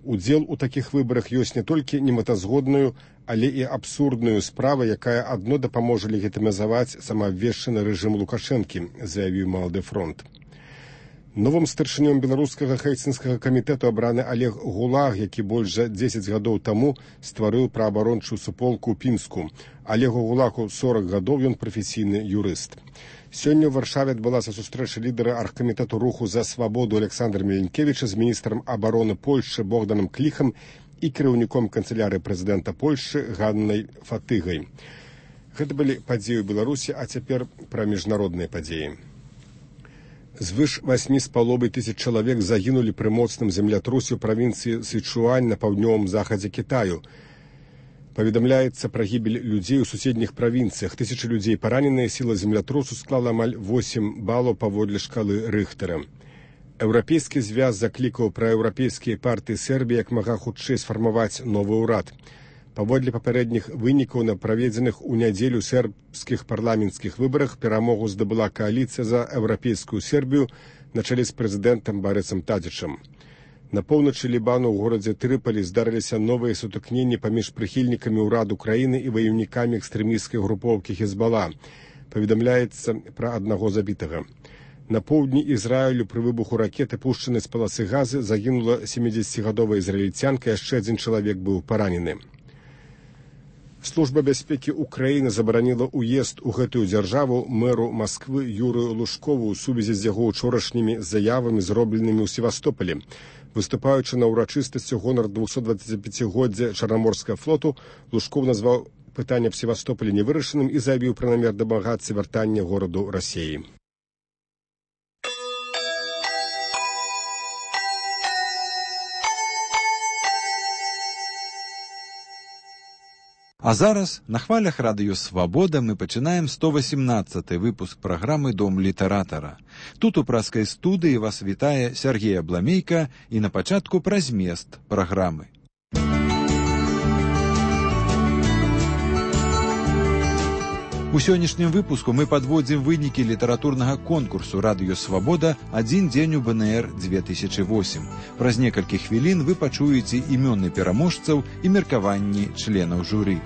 Удзел у такіх выбарах ёсць не толькі немэтазгодную, але і абсурдную справу, якая адно дапаможа легітымізаваць самаабвешчаны рэжым Лукашэнкі, заявіў «Малады фронт». Новым старшынём беларускага хельсінскага камітэту абраны Олег Гулаг, які больш за 10 гадоў таму стварыў праабарончую суполку ў Пінску. Олегу Гулагу 40 гадоў, ён прафесійны юрыст. Сёння ў Варшаве адбылася сустрэча лідара аргкамітэту руху за свабоду Александра Міленкевіча з міністрам абароны Польшчы Богданам Кліхам і кіраўніком канцылярыі прэзідэнта Польшчы Ганнай Фатыгай. Гэта былі падзеі ў Беларусі, а цяпер пра міжнародныя падзеі. Звыш 8,5 тысяч чалавек загінулі пры моцным землятрусе ў правінцыі Сычуань на паўднёвым захадзе Кітаю. Паведамляецца пра гібель людзей у суседніх правінцыях. Тысячы людзей параненыя, сіла землятрусу склала амаль 8 балаў паводле шкалы Рыхтера. Еўрапейскі звяз заклікаў праеўрапейскія партыі Сербіі як мага хутчэй сфармаваць новы ўрад. Паводле папярэдніх вынікаў на праведзеных у нядзелю сербскіх парламенцкіх выбарах перамогу здабыла кааліцыя за еўрапейскую Сербію на чале з прэзідэнтам Барысам Тадзічам. На поўначы Лібану ў горадзе Трыполі здарыліся новыя сутыкненні паміж прыхільнікамі ўраду краіны і ваяўнікамі экстрэмісцкай групоўкі Хезбала. Паведамляецца пра аднаго забітага. На поўдні Ізраілю пры выбуху ракеты, пушчанай з паласы газы, загінула 70гадовая ізраільцянка, яшчэ адзін чалавек быў паранены. Служба бяспекі Украіны забараніла ўезд у гэтую дзяржаву мэру Масквы Юрыю Лужкову ў сувязі з яго учорашнімі заявамі, зробленымі ў Севастополі. Выступаючы на ўрачыстасці гонар 225-годдзя Чарнаморскага флоту, Лужков назваў пытанне аб Севастополі невырашаным і заявіў пра намер дамагацца вяртання гораду Расіі. А зараз на хвалях радыё «Свабода» мы пачынаем 118-й выпуск праграмы «Дом літаратара». Тут у праскай студыі вас вітае Сергей Абламейка і на пачатку пра змест праграмы. У сённяшнім выпуску мы падводзім вынікі літаратурнага конкурсу «Радыё Свабода. Адзін дзень у БНР-2008». Праз некалькі хвілін вы пачуеце імёны пераможцаў і меркаванні членаў журы.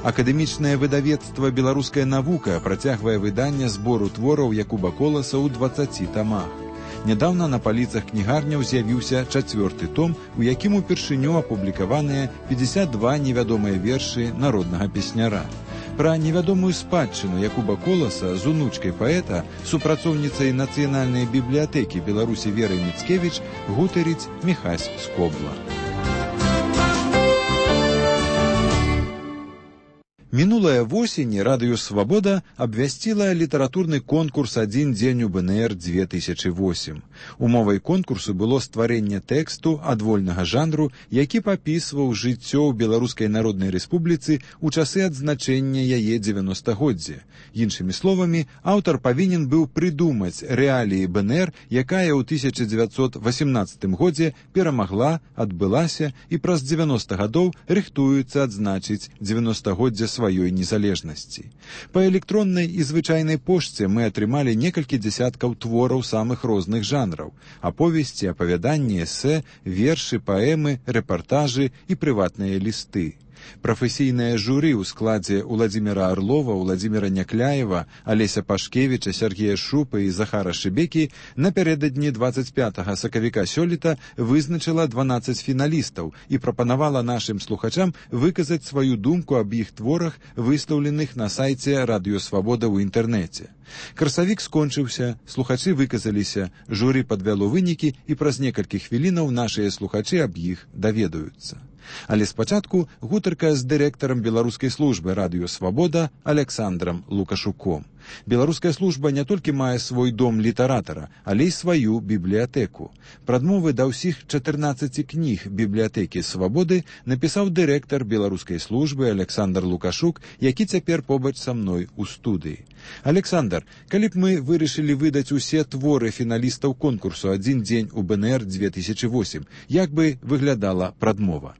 Акадэмічнае выдавецтва «Беларуская навука» працягвае выданне збору твораў Якуба Коласа ў 20 тамах. Нядаўна на паліцах кнігарняў з'явіўся 4-ты том, у якім упершыню апублікаваныя 52 невядомыя вершы народнага песняра. Пра невядомую спадчыну Якуба Коласа з унучкай паэта, супрацоўніцай Нацыянальнай бібліятэкі Беларусі Верай Міцкевіч гутарыць Міхась Скобла. Мінулая восень радыё «Свабода» абвясціла літаратурны конкурс «Адзін дзень у БНР-2008». Умовай конкурсу было стварэнне тэксту адвольнага жанру, які папісваў жыццё ў Беларускай Народнай Рэспубліцы ў часы адзначэння яе 90-годдзя. Іншымі словамі, аўтар павінен быў прыдумаць рэаліі БНР, якая ў 1918 годзе перамагла, адбылася і праз 90 гадоў рыхтуецца адзначыць 90-годдзя сваёй незалежнасці. Па электроннай і звычайнай пошце мы атрымалі некалькі дзясяткаў твораў самых розных жанраў: аповесці, апавяданні, эсэ, вершы, паэмы, рэпартажы і прыватныя лісты. Прафесійнае журы ў складзе Уладзіміра Арлова, Уладзіміра Някляева, Алеся Пашкевіча, Сергея Шупа і Захара Шыбекі напярэдадні 25 сакавіка сёлета вызначыла 12 фіналістаў і прапанавала нашым слухачам выказаць сваю думку аб іх творах, выстаўленых на сайце «Радыё Свабода» ў інтэрнэце. Красавік скончыўся, слухачы выказаліся, журы падвяло вынікі і праз некалькі хвілінаў нашыя слухачы аб іх даведаюцца. Але спачатку гутарка з дырэктарам беларускай службы «Радыё Свабода» Александрам Лукашуком. Беларуская служба не толькі мае свой дом літаратара, але і сваю бібліятэку. Прадмовы да ўсіх 14 кніг бібліятэкі «Свабоды» напісаў дырэктар беларускай службы Александр Лукашук, які цяпер побач са мной у студыі. Александр, калі б мы вырашылі выдаць усе творы фіналістаў конкурсу «Адзін дзень у БНР-2008», як бы выглядала прадмова?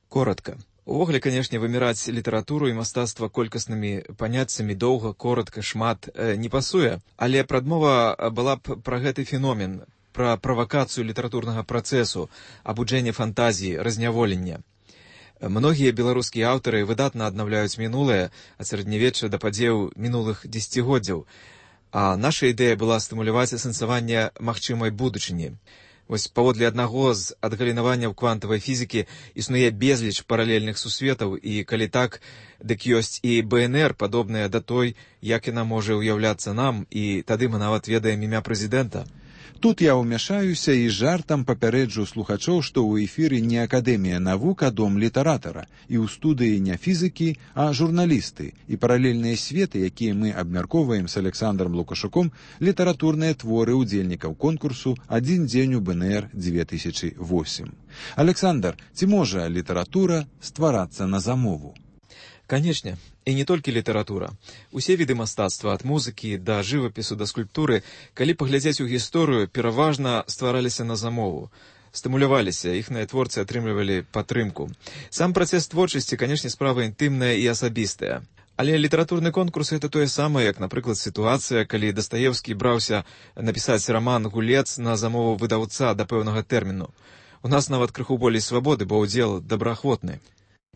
Коротко. Увогуле, канешне, выміраць літаратуру і мастацтва колькаснымі паняццямі доўга, коротка, шмат не пасуе, але прадмова была б пра гэты феномен, пра правакацыю літаратурнага працэсу, абуджэнне фантазіі, разняволення. Многія беларускія аўтары выдатна аднаўляюць мінулае, ад сярэднявечча да падзеяў мінулых дзесяцігоддзяў, а наша ідэя была стымуляваць асэнсаванне магчымай будучыні. Вось паводле аднаго з адгалінаванняў квантавай фізікі існуе безліч паралельных сусветаў, і калі так, дык ёсць і БНР, падобная да той, як яна можа ўяўляцца нам, і тады мы нават ведаем імя прэзідэнта. Тут я ўмяшаюся і жартам папярэджу слухачоў, што ў эфіры не Акадэмія навук, а дом літаратара, і ў студыі не фізікі, а журналісты, і паралельныя светы, якія мы абмяркоўваем з Александром Лукашуком, літаратурныя творы ўдзельнікаў конкурсу «Адзін дзень у БНР-2008». Александр, ці можа літаратура стварацца на замову? Канечне, і не толькі літаратура. Усе віды мастацтва, ад музыкі да жывапісу да скульптуры, калі паглядзець у гісторыю, пераважна ствараліся на замову. Стымуляваліся, іхныя творцы атрымлівалі падтрымку. Сам працэс творчасці, канешне, справа інтымная і асабістая. Але літаратурны конкурс — это тое самае, як, напрыклад, сітуацыя, калі Дастаевскі браўся напісаць раман «Гулец» на замову выдаўца да пэўнага тэрміну. У нас нават крыху болей свабоды, бо ўдзел добраахвотны.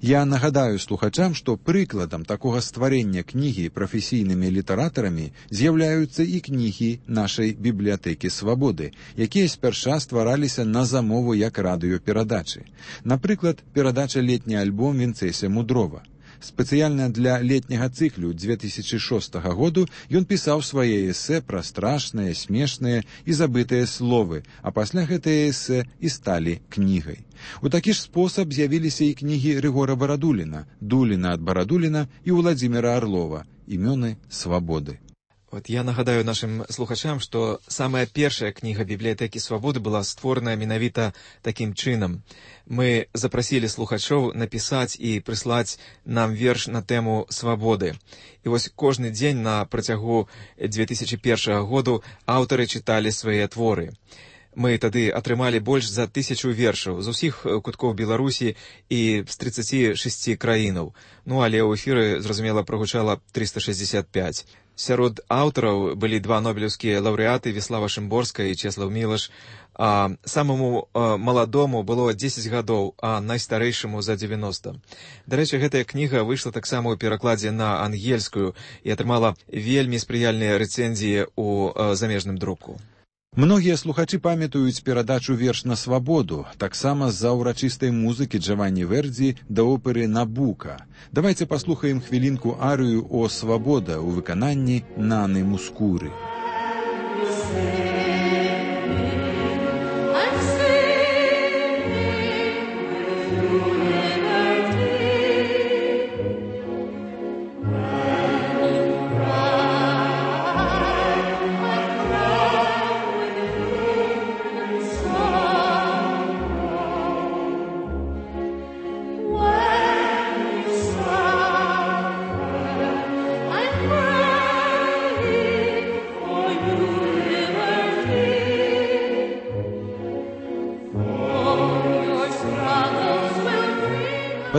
Я нагадаю слухачам, што прыкладам такога стварэння кнігі прафесійнымі літаратарамі з'яўляюцца і кнігі нашай бібліятэкі «Свабоды», якія спярша ствараліся на замову як радыёперадачы. Напрыклад, перадача «Летні альбом» Вінцэся Мудрова. Спецыяльна для летняга цыклю 2006 году ён пісаў свае эсэ пра страшныя, смешныя і забытыя словы, а пасля гэтыя эсэ і сталі кнігай. У такі ж спосаб з'явіліся і кнігі Рыгора Барадуліна, Дуліна ад Барадуліна і Уладзіміра Арлова «Імёны свабоды». Вот я нагадаю нашим слухачам, што самая першая кніга бібліятэкі «Свабоды» была створаная менавіта такім чынам. Мы запрасілі слухачоў напісаць і прыслаць нам верш на тэму свабоды. І вось кожны дзень на працягу 2001 году аўтары чыталі свае творы. Мы тады атрымалі больш за 1000 вершаў з усіх куткоў Беларусі і з 36 краінаў. Ну, але ў эфіры, зразумела, прагучала 365. Сярод аўтараў былі 2 нобелеўскія лаўрэаты Віслава Шымборская і Чеслаў Мілаш. А самому маладому было 10 гадоў, а найстарэйшаму за 90. Дарэчы, гэтая кніга выйшла таксама ў перакладзе на ангельскую і атрымала вельмі спрыяльныя рэцэнзіі ў замежным друку. Многія слухачы памятаюць перадачу «Верш на свабоду», таксама з-за ўрачыстай музыкі Джаванні Вердзі да оперы «Набука». Давайце паслухаем хвілінку арыю «О свабода» у выкананні Наны Мускуры.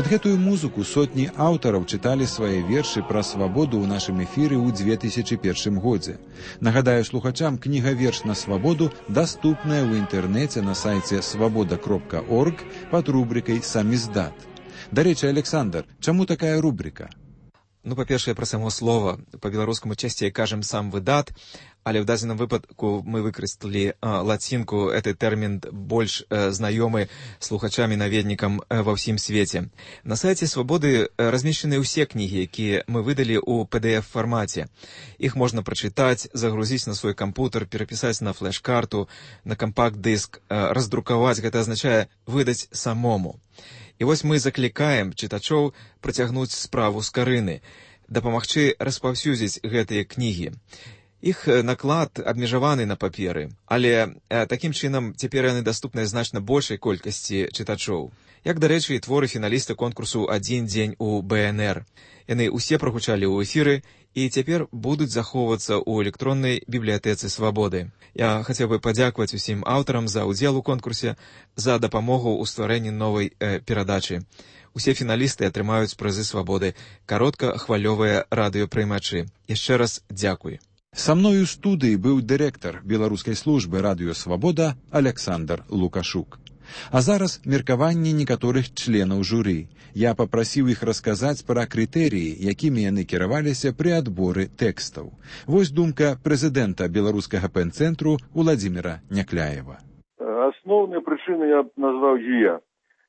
Пад гэтую музыку сотні аўтараў чыталі свае вершы пра свабоду ў нашым эфіры ў 2001 годзе. Нагадаю слухачам, кніга «Верш на свабоду» даступная ў інтэрнэце на сайце свабода.орг пад рубрикай «Самиздат». Дарэчы, Александр, чаму такая рубрика? Ну, па-першае, пра само слова. Па-беларускаму часцей кажам «сам выдат», але ў дадзеным выпадку мы выкарысталі лацінку. Гэты тэрмін больш знаёмы слухачам і наведнікам ва ўсім свеце. На сайце «Свабоды» размешчаны ўсе кнігі, якія мы выдалі ў PDF-фармаце. Іх можна прачытаць, загрузіць на свой кампутер, перапісаць на флеш-карту, на кампакт-дыск, раздрукаваць. Гэта азначае выдаць самому. І вось мы заклікаем чытачоў працягнуць справу з карыны, дапамагчы распаўсюдзіць гэтыя кнігі. Іх наклад абмежаваны на паперы, але такім чынам цяпер яны даступныя значна большай колькасці чытачоў. Як, дарэчы, і творы фіналіста конкурсу «Адзін дзень у БНР». Яны ўсе прагучалі ў эфіры і цяпер будуць захоўвацца ў электроннай бібліятэцы «Свабоды». Я хацеў бы падзякаваць усім аўтарам за ўдзел у конкурсе, за дапамогу ў стварэнні новай перадачы. Усе фіналісты атрымаюць прызы «Свабоды», кароткахвалёвыя радыёпрымачы. Яшчэ раз дзякуй. Са мною ў студыі быў дырэктар беларускай службы «Радыё Свабода» Александр Лукашук. А зараз меркаванні некаторых членаў журы. Я папрасіў іх расказаць пра крытэрыі, якімі яны кіраваліся пры адборы тэкстаў. Вось думка прэзідэнта беларускага пэн-цэнтру Уладзіміра Някляева. Асноўныя прычыны я б назваў дзве.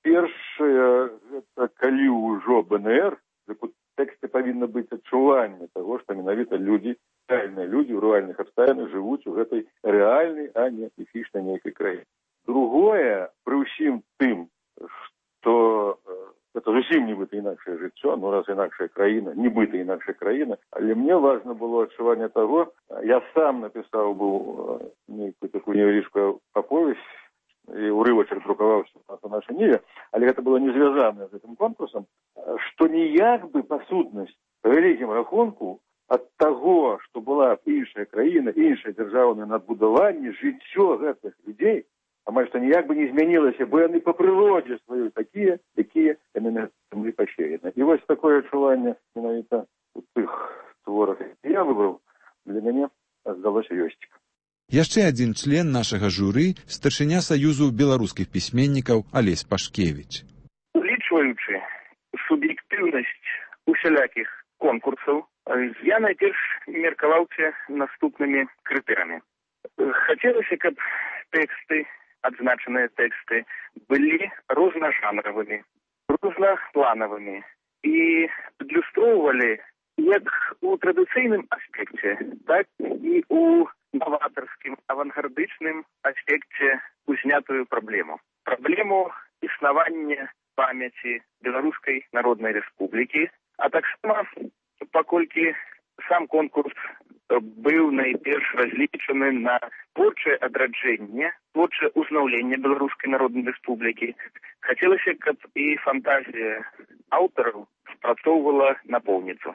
Першае, гэта калі ўжо БНР, у тэксце павінна быць адчуванне таго, што менавіта людзі, рэальныя людзі ў рэальных абставінах жывуць у гэтай рэальнай, а не міфічнай нейкай краіне. Другое, пры ўсім тым, што гэта зусім нібыта інакшае жыццё, ну раз інакшая краіна, нібыта інакшая краіна, але мне важна было адчуванне таго, я сам напісаў быў нейкую такую невялічкую аповесць, і ўрывачак друкаваўся на нашай ніве, але гэта было не звязанае з гэтым конкурсам, што ніяк бы па сутнасці, па вялікім рахунку, ад таго, што была іншая краіна, іншае дзяржаўнае надбудаванне, жыццё гэтых людзей, амаль што ніяк бы не змянілася, бо яны па прыродзе сваёй такія, якія яны на зямлі пасеяны. І вось такое адчуванне менавіта у тых творах, які я выбраў, для мяне здалося ёсць. Яшчэ адзін член нашага журы, старшыня Саюзу беларускіх пісьменнікаў Алесь Пашкевіч. Улічваючы суб'ектыўнасць усялякіх конкурсаў, я найперш меркаваўся наступнымі крытэрамі. Хацелася, каб тэксты, адзначаныя тэксты, былі рознажанравымі, рознапланавымі і адлюстроўвалі як у традыцыйным аспекце, так і у новатарскім, авангардычным аспекце узнятую праблему. Праблему існавання памяці Беларускай Народнай Рэспублікі, а таксама, паколькі сам конкурс быў найперш разлічаны на творчае адраджэнне, творчае ўзнаўленне Беларускай Народнай Рэспублікі, хацелася, каб і фантазія аўтараў спрацоўвала напоўніцу.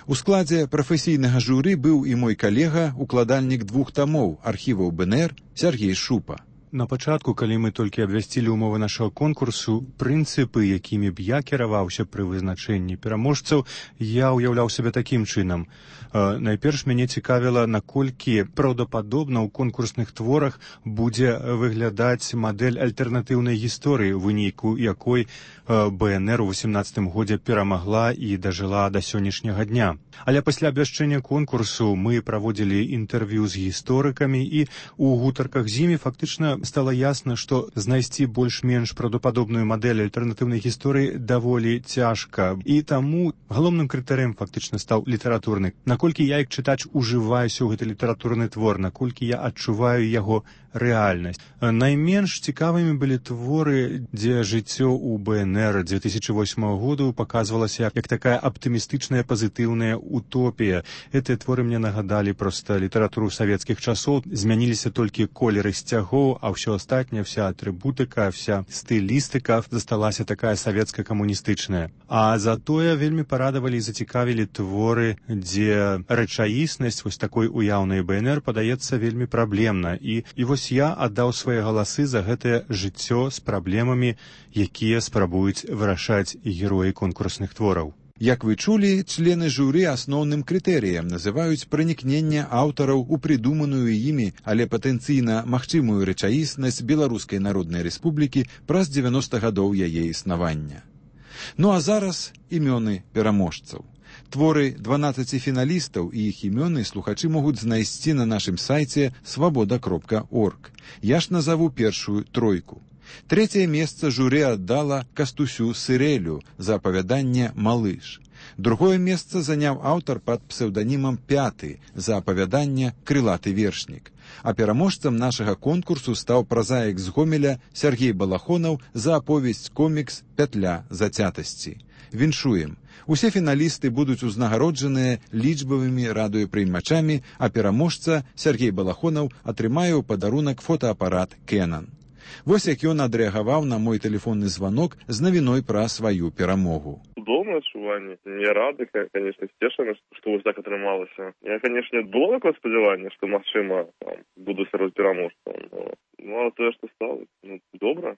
У складзе прафесійнага журы быў і мой калега, укладальнік 2 тамоў архіваў БНР Сергей Шупа. На пачатку, калі мы толькі абвясцілі ўмовы нашага конкурсу, прынцыпы, якімі б я кіраваўся пры вызначэнні пераможцаў, я ўяўляў сябе такім чынам. Найперш мяне цікавіла, наколькі праўдападобна ў конкурсных творах будзе выглядаць мадэль альтэрнатыўнай гісторыі, у выніку якой БНР у 18 годзе перамагла і дажыла да сённяшняга дня. Але пасля абвяшчэння конкурсу мы праводзілі інтэрв'ю з гісторыкамі і ў гутарках з імі фактычна стала ясна, што знайсці больш-менш праўдападобную мадэль альтэрнатыўнай гісторыі даволі цяжка. І таму галоўным крытэрыем фактычна стаў літаратурны. Наколькі я, як чытач, ужываюся ў гэты літаратурны твор, наколькі я адчуваю яго рэальнасць. Найменш цікавымі былі творы, дзе жыццё ў БНР 2008 году паказвалася як такая аптымістычная, пазітыўная утопія. Гэтыя творы мне нагадалі проста літаратуру савецкіх часоў. Змяніліся толькі колеры сцягоў, а ўсё астатняе, вся атрыбутыка, вся стылістыка засталася такая савецка-камуністычная. А затое вельмі парадавалі і зацікавілі творы, дзе гэта рэчаіснасць вось такой уяўнай БНР падаецца вельмі праблемна. І вось я аддаў свае галасы за гэтае жыццё з праблемамі, якія спрабуюць вырашаць героі конкурсных твораў. Як вы чулі, члены журы асноўным крытэрыем называюць пранікненне аўтараў у прыдуманую імі, але патэнцыйна магчымую рэчаіснасць Беларускай Народнай Рэспублікі праз 90 гадоў яе існавання. Ну а зараз імёны пераможцаў. Творы 12 фіналістаў і іх імёны слухачы могуць знайсці на нашым сайце свабода.орг. Я ж назову першую тройку. Трэцяе месца журы аддала Кастусю Сырэлю за апавяданне «Малыш». Другое месца заняў аўтар пад псеўданімам «Пяты» за апавяданне «Крылаты вершнік». А пераможцам нашага конкурсу стаў празаік з Гомеля Сергей Балахонаў за аповесць-комікс «Пятля зацятасці». Віншуем! Усе фіналісты будуць узнагароджаныя лічбавымі радыёпрыймачамі, а пераможца Сергей Балахонаў атрымае ў падарунак фотаапарат «Кэнан». Вось як ён адрэагаваў на мой тэлефонны званок з навіной пра сваю перамогу. Цудоўнае адчуванне. Я рады, конечно, сцешаны, што вось так атрымалася. Я, конечно, было такое спадзяванне, што, магчыма, буду сярод пераможцаў. Ну, а тое, што стала, добра.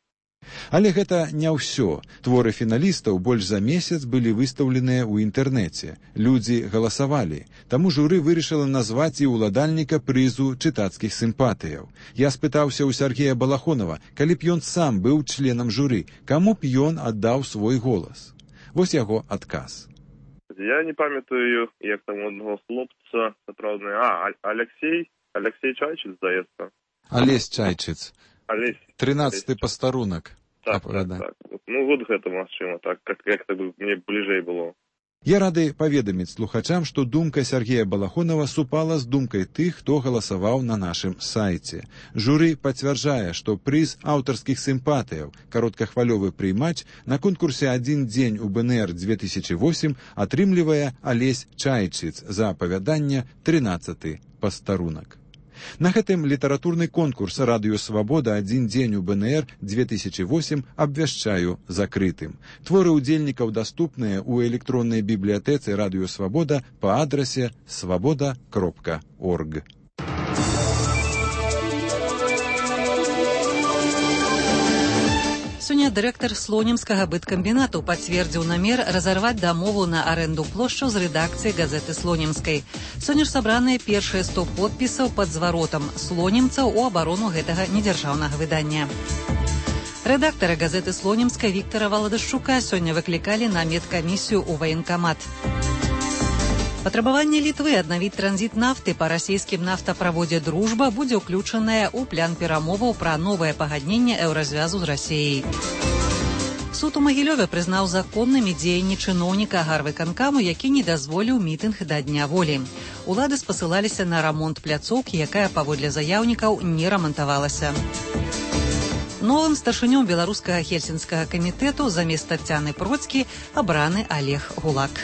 Але гэта не ўсё. Творы фіналістаў больш за месяц былі выстаўленыя ў інтэрнэце. Людзі галасавалі. Таму журы вырашыла назваць і ўладальніка прызу чытацкіх сімпатыяў. Я спытаўся ў Сергея Балахонава, калі б ён сам быў членам журы, каму б ён аддаў свой голас. Вось яго адказ. Я не памятаю, як там одного хлопца, сапраўдны, Алексей Чайчыц, здаецца. Алесь Чайчыц. 13-й пастарунак. Так. Ну, вот гэта магчыма, так, як-то мне бліжэй было. Я рады паведаміць слухачам, што думка Сергея Балахонава супала з думкай тых, хто галасаваў на нашым сайце. Журы пацвярджае, што прыз аўтарскіх сімпатыяў кароткахвалёвы прыймач на конкурсе «Адзін дзень у БНР 2008» атрымлівае Алесь Чайчыц за апавяданне «13-й пастарунак». На гэтым літаратурны конкурс «Радыё Свабода. Адзін дзень у БНР 2008» абвяшчаю закрытым. Творы ўдзельнікаў даступныя ў электроннай бібліятэцы «Радыё Свабода» па адрасе свабода.орг. Сёння дырэктар слонімскага быткамбінату пацвердзіў намер разарваць дамову на арэнду плошчаў з рэдакцыяй газеты слонімскай. Сёння ж сабраныя першыя 100 подпісаў пад зваротам слонімцаў у абарону гэтага недзяржаўнага выдання. Рэдактара газеты слонімскай Віктара Валадашчука сёння выклікалі на медкамісію ў ваенкамат. Патрабаванне Літвы аднавіць транзіт нафты па расійскім нафтаправодзе «Дружба» будзе ўключанае ў план перамоваў пра новае пагадненне еўразвязу з Расіяй. Суд у Магілёве прызнаў законнымі дзеянні чыноўніка гарвыканкаму, які не дазволіў мітынг да Дня волі. Улады спасылаліся на рамонт пляцоўкі, якая, паводле заяўнікаў, не рамантавалася. Новым старшынём беларускага хельсінскага камітэту замест Таццяны Процкі абраны Олег Гулак.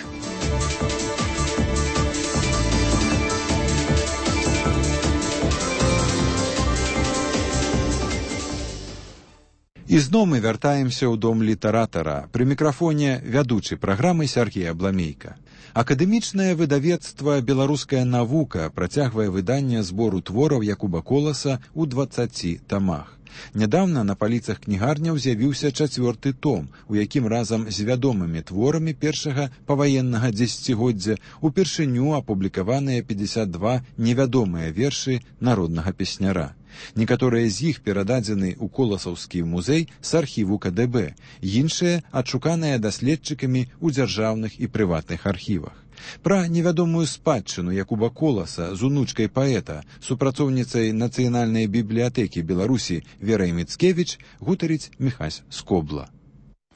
І зноў мы вяртаемся ў дом літаратара. Пры мікрафоне вядучы праграмы Сергей Абламейка. Акадэмічнае выдавецтва «Беларуская навука» працягвае выданне збору твораў Якуба Коласа ў 20 тамах. Нядаўна на паліцах кнігарняў з'явіўся 4-ты том, у якім разам з вядомымі творамі першага паваеннага дзесяцігоддзя упершыню апублікаваныя 52 невядомыя вершы народнага песняра. Некаторыя з іх перададзены ў Коласаўскі музей з архіву КДБ, іншыя адшуканыя даследчыкамі ў дзяржаўных і прыватных архівах. Пра невядомую спадчыну Якуба Коласа з унучкай паэта, супрацоўніцай Нацыянальнай бібліятэкі Беларусі Верай Міцкевіч гутарыць Міхась Скобла.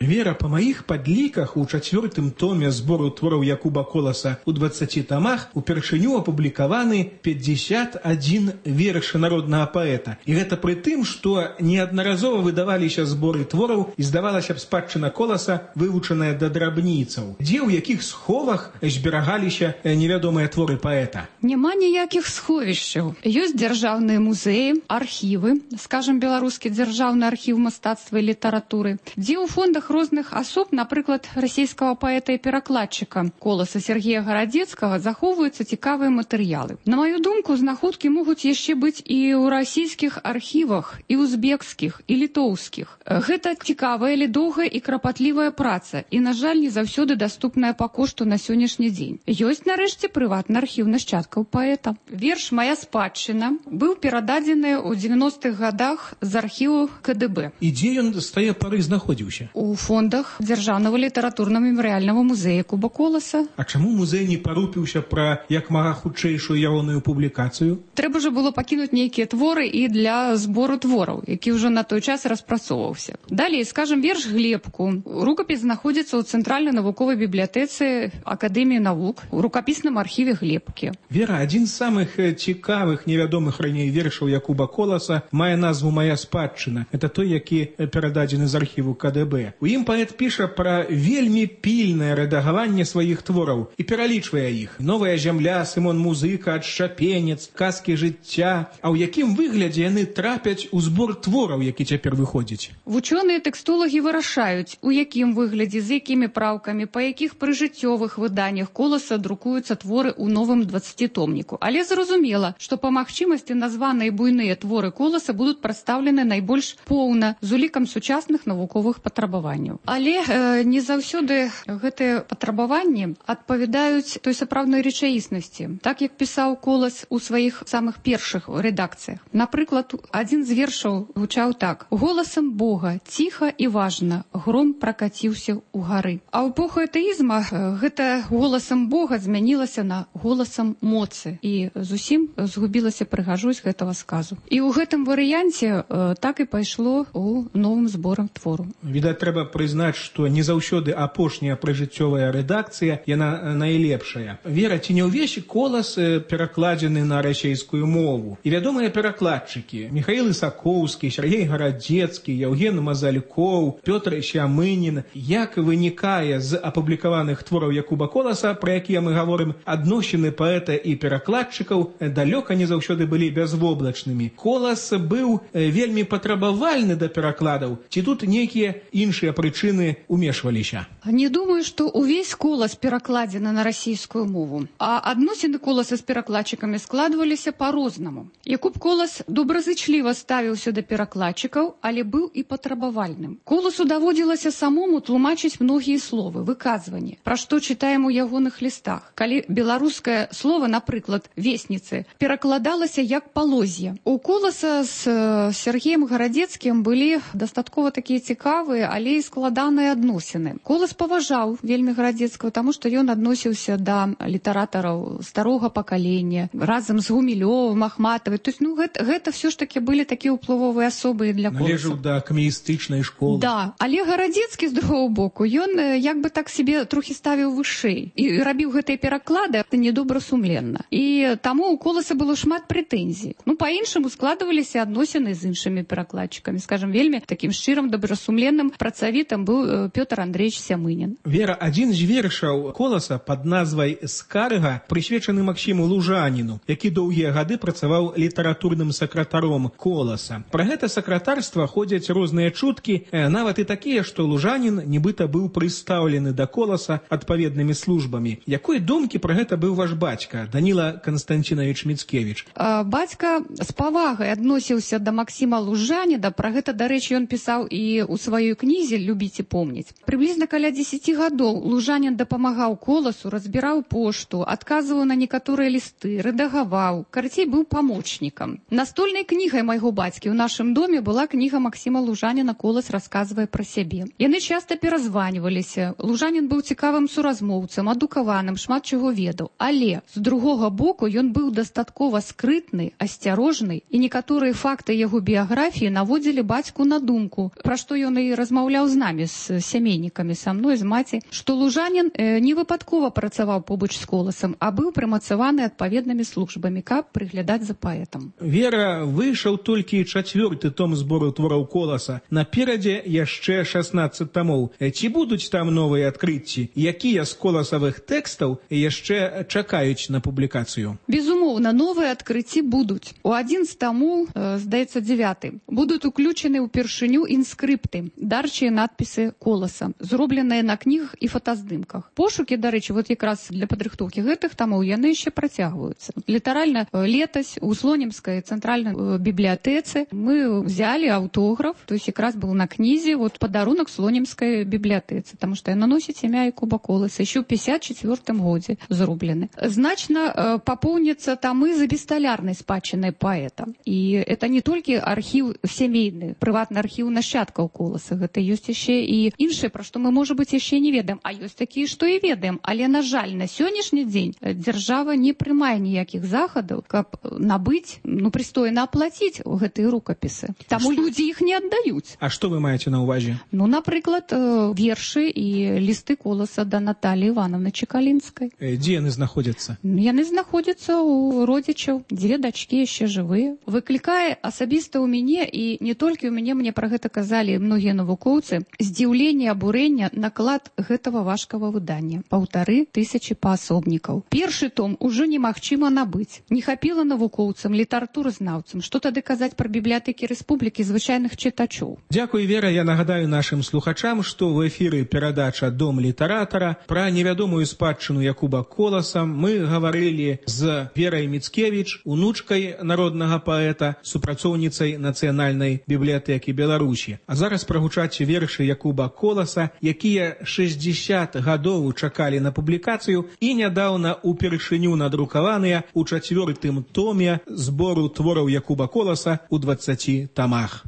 Вера, па маіх падліках, у 4-тым томе збору твораў Якуба Коласа ў 20 тамах упершыню апублікаваны 51 вершы народнага паэта. І гэта пры тым, што неаднаразова выдаваліся зборы твораў і, здавалася б, спадчына Коласа вывучаная да драбніцаў, дзе ў якіх сховах зберагаліся невядомыя творы паэта. Няма ніякіх сховішчаў. Ёсць дзяржаўныя музеі, архівы, скажам, беларускі дзяржаўны архіў мастацтва і літаратуры, дзе ў фондах творах розных асоб, напрыклад, расійскага паэта і перакладчыка Коласа Сергея Гарадзецкага, захоўваюцца цікавыя матэрыялы. На маю думку, знаходкі могуць яшчэ быць і ў расійскіх архівах, і узбекскіх, і літоўскіх. Гэта цікавая, але доўгая і крапатлівая праца, і, на жаль, не заўсёды даступная па кошту на сённяшні дзень. Ёсць, нарэшце, прыватны архіў нашчадкаў паэта. Верш «Мая спадчына» быў перададзены ў 90-х гадах з архіву КДБ. І дзе ён з тае пары знаходзіўся? У фондах Дзяржаўнага літаратурна-мемарыяльнага музея Куба Коласа. А чаму музей не парупіўся пра як мага хутчэйшую ягоную публікацыю? Трэба ж было пакінуць нейкія творы і для збору твораў, які ўжо на той час распрацоўваўся. Далей, скажем, верш «Глебку». Рукапіс знаходзіцца ў Цэнтральнай навуковай бібліятэцы Акадэміі навук у рукапісным архіве Глебкі. Вера, адзін з самых цікавых невядомых раней вершаў Якуба Коласа мае назву «Мая спадчына». Это той, які перададзены з архіву КДБ. У ім паэт піша пра вельмі пільнае рэдагаванне сваіх твораў і пералічвае іх. «Новая зямля», «Сымон Музыка», «Адшчапенец», «Казкі жыцця». А ў якім выглядзе яны трапяць у збор твораў, які цяпер выходзіць? Вучоныя тэкстолагі вырашаюць, у якім выглядзе, з якімі праўкамі, па якіх прыжыццёвых выданнях Коласа друкуюцца творы ў новым 20-томніку. Але зразумела, што па магчымасці названыя буйныя творы Коласа будуць прадстаўлены найбольш поўна з улікам сучасных навуковых патрабаванняў. Але не заўсёды гэтыя патрабаванні адпавядаюць той сапраўднай рэчаіснасці, так як пісаў Колас у сваіх самых першых рэдакцыях. Напрыклад, адзін з вершаў гучаў так: «Голасам Бога, ціха і важна, гром пракаціўся ў гары». А ў эпоху атэізма гэта голасам Бога змянілася на голасам моцы і зусім згубілася прыгажосць гэтага сказу. І ў гэтым варыянце так і пайшло ў новым зборам твору. Відаць, трэба прызнаць, што не заўсёды апошняя прыжыццёвая рэдакцыя, яна найлепшая. Вера, ці не ўвесь Колас перакладзены на расейскую мову? І вядомыя перакладчыкі Михаил Исаковскі, Сергей Гарадзецкі, Яўген Мазалькоў, Пётр Сямынін. Як вынікае з апублікаваных твораў Якуба Коласа, пра якія мы гаворым, адносіны паэта і перакладчыкаў далёка не заўсёды былі бязвоблачнымі. Колас быў вельмі патрабавальны да перакладаў, ці тут нейкія іншыя прычыны умешваліся? Не думаю, што ўвесь Колас перакладзены на расійскую мову, а адносіны Коласа з перакладчыкамі складваліся па-рознаму. Якуб Колас добразычліва ставіўся да перакладчыкаў, але быў і патрабавальным. Коласу даводзілася самому тлумачыць многія словы, выказванні, пра што чытаем у ягоных лістах. Калі беларускае слово, напрыклад, «весніцы», перакладалася як «палозье». У Коласа з Сергеем Гарадзецкім былі дастаткова такія цікавыя, але і складаныя адносіны. Колас паважаў вельмі Гарадзецкага, таму што ён адносіўся да літаратараў старога пакалення, разам з Гумілёвым, Ахматавай. То есть, гэта все ж таки былі такія ўплывовыя асобы для Коласа. Належаў да камеістычнай школы. Да, але Гарадзецкі, з другого боку, ён як бы так себе трохі ставіў вышэй і рабіў гэтыя пераклады недобрасумленна. І таму у Коласа было шмат прэтэнзій. Па-іншаму складваліся адносіны з іншымі перакладчыкамі. Скажем, вельмі такім шчырым, добрасумленным, працавітым быў Пётр Андреевич Сямынін. Вера, адзін з вершаў Коласа пад назвай «Скарга» прысвечаны Максіму Лужаніну, які доўгія гады працаваў літаратурным сакратаром Коласа. Пра гэта сакратарства ходзяць розныя чуткі, нават і такія, што Лужанін нібыта быў прыстаўлены да Коласа адпаведнымі службамі. Якой думкі пра гэта быў ваш бацька, Даніла Канстанцінавіч Міцкевіч? Бацька з павагай адносіўся да Максіма Лужаніна. Пра гэта, дарэчы, ён пісаў і ў сваёй кнізе «Любіць і помніць». Прыблізна каля 10 гадоў Лужанін дапамагаў Коласу, разбіраў пошту, адказваў на некаторыя лісты, рэдагаваў, карацей, быў памочнікам. Настольнай кнігай майго бацькі ў нашым доме была кніга Максіма Лужаніна «Колас расказвае пра сябе». Яны часта перазваніваліся. Лужанін быў цікавым суразмоўцам, адукаваным, шмат чаго ведаў. Але, з другога боку, ён быў дастаткова скрытны, асцярожны, і некаторыя факты яго біяграфіі наводзілі бацьку на думку, пра што ён і размаўляў з намі, з сямейнікамі, са мной, з маці, што Лужанін не выпадкова працаваў побач з Коласам, а быў прымацаваны адпаведнымі службамі, каб прыглядаць за паэтам. Вера, выйшаў толькі 4-й том збору твораў Коласа. Наперадзе яшчэ 16 томоў. Ці будуць там новыя адкрыцці? Якія з коласавых тэкстаў яшчэ чакаюць на публікацыю? Безумоўна, новыя адкрыцці будуць. У адзін з тамоў, здаецца, 9, будуць уключены ўпершыню інскрыпты, дарчыя надпісы Коласа, зробленыя на кнігах і фотаздымках. Пошукі, дарэчі, вот якраз для падрыхтоўкі гэтых тамоў яны яшчэ працягваюцца. Літаральна летась у Слонімскай цэнтральнай бібліятэцы мы взяли аўтограф, то есть якраз был на кнізе вот падарунак Слонімскай бібліятэцы, таму што яна носіць імя Якуба Коласа, еще ў 54 годзе зроблены. Значна папоўняцца тамы за бесталярнай спадчынай паэта. І это не толькі архіў сямейны, прыватны архіў нашчадкаў Коласа, гэта ёсць яшчэ і іншае, пра што мы, можа быць, яшчэ не ведаем, а ёсць такія, што і ведаем. Але, на жаль, на сённяшні дзень дзяржава не прымае ніякіх захадаў, каб набыць, прыстойна аплаціць гэтыя рукапісы. Таму людзі іх не аддаюць. А што вы маеце на ўвазе? Напрыклад, вершы і лісты Коласа да Наталіі Івановны Чекалінскай. Дзе яны знаходзяцца? Яны знаходзяцца ў родзічаў, дзве дачкі яшчэ жывыя. Выклікае асабіста ў мяне, і не толькі ў мяне, мне пра гэта казалі многія навукоўцы, здзіўленне, абурэнне наклад гэтага важкага выдання. 1500 паасобнікаў. Першы том ужо немагчыма набыць. Не хапіла навукоўцам, літаратуразнаўцам. Што тады казаць пра бібліятэкі рэспублікі звычайных чытачоў? Дзякуй, Вера. Я нагадаю нашым слухачам, што ў эфіры перадача «Дом літаратара». Пра невядомую спадчыну Якуба Коласа мы гаварылі з Верай Міцкевіч, унучкай народнага паэта, супрацоўніцай Нацыянальнай бібліятэкі Беларусі. А зараз прагучаць вершы Якуба Коласа, якія 60 гадоў чакалі на публікацыю і нядаўна упершыню надрукаваныя ў 4-м томе збору твораў Якуба Коласа ў 20 тамах.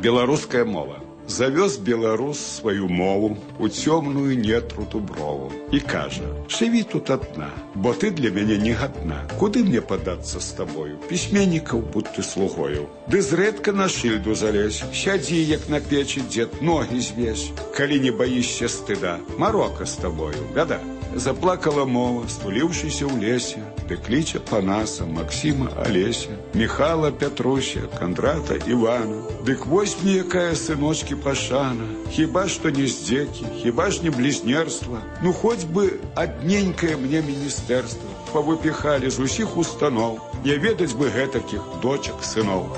Беларуская мова. Завёз беларус сваю мову у цёмную нетру дуброву і кажа: «Жыві тут адна, бо ты для мяне не гадна. Куды мне падацца з табою? Пісьменнікаў будь ты слугою. Ды зрэдка на шыльду залезь, сядзі, як на печы дзед, ногі звесь. Калі не баішся стыда, марока з табою, бяда». Заплакала мова, стуліўшыся ў лесе, ды кліча Панаса, Максіма, Алеся, Міхала, Пятруся, Кандрата, Івана. Дык вось мне якая сыночкі пашана, хіба што не здзекі, хіба ж не блізнерства, хоць бы адненькае мне міністэрства павыпіхалі з усіх устаноў, не ведаць бы гэтакіх дочак, сыноў.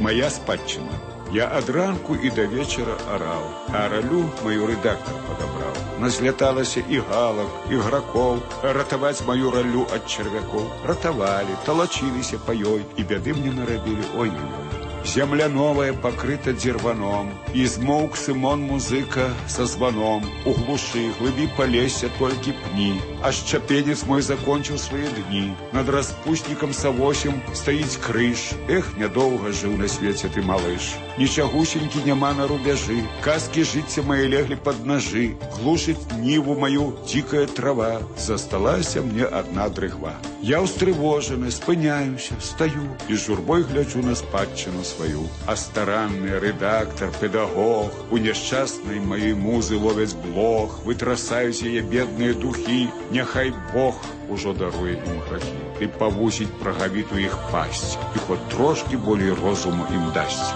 Моя спадчына. Я ад ранку і да вечара араў, а ралю маю рэдактар падабраў. Назляталася і галак, і гракоў, ратаваць маю ралю ад чарвякоў. Ратавалі, талачыліся па ёй, і бяды мне нарабілі, ой-ой-ой. Земля новая пакрыта дзірваном, і змоўк Сымон музыка са званом. У глушы, глыбі палесся толькі пні, а шчапенец мой закончыў свае дні. Над распуснікам Савосем стаіць крыж. Эх, нядоўга жыў на свеце ты, малыш. Нічагусенькі няма на рубяжы, казкі жыцця мае леглі пад нажы. Глушыць ніву маю дзікая трава, засталася мне адна дрыгва. Я ўстрывожаны, спыняюся, стаю і журбой гляджу на спадчыну сваю. А старанны рэдактар, педагог у няшчаснай маёй музы ловяць блох, вытрасаюць яе бедныя духі. Няхай Бог ужо даруе ім грахі і павусіць прагавіту іх пасць, і хоць трошкі болей розуму ім дасць.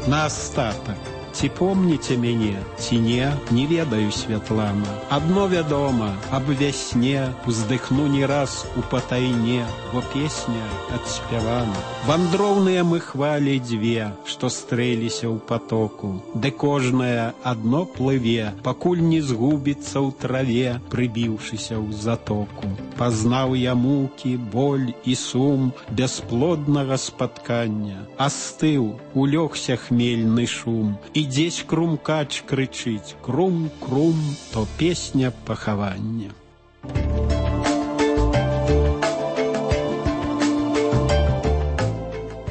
На астатак. Ці помніце мяне, ці не ведаю, Святлана. Адно вядома, аб вясне уздыхну не раз у патайне, бо песня адспявана. Вандроўныя мы хвалі дзве, што стрэліся ў патоку, ды кожная адно плыве, пакуль не згубіцца ў траве, прыбіўшыся ў затоку. Пазнаў я мукі, боль і сум бясплоднага спаткання. Астыў, улёгся хмельны шум, і дзесь крумкач крычыць: крум-крум, то песня пахавання.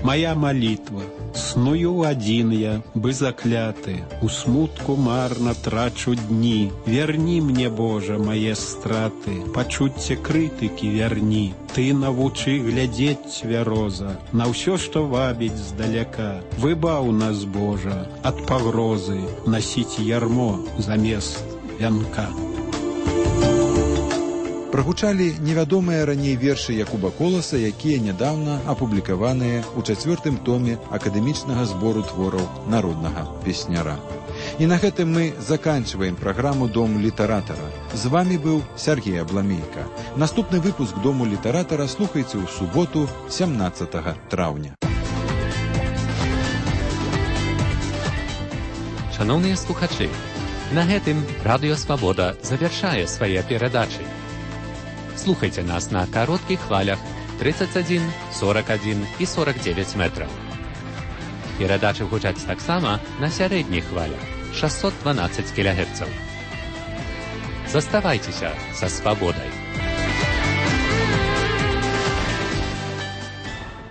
Моя молитва. Сную один я, бы закляты, у смутку марно трачу дни. Верни мне, Боже, мои страты, почуцце крытыкі верни. Ты навучы глядзець цвяроза на ўсё, што вабіць здаляка. Выбаў нас, Божа, ад пагрозы насіць ярмо замест вянка. Прагучалі невядомыя раней вершы Якуба Коласа, якія нядаўна апублікаваныя ў 4-м томе акадэмічнага збору твораў народнага песняра. І на гэтым мы заканчиваем праграму «Дом літаратара». З вами быў Сергей Абламейка. Наступны выпуск «Дому літаратара» слухайце ў суботу, 17 траўня. Шановныя слухачы, на гэтым Радыё Свабода завяршае свае перадачы. Слухайце нас на кароткіх хвалях 31, 41 і 49 метраў. Перадачы гучаць таксама на сярэдніх хвалях 612 кГц. Заставайцеся са свабодай.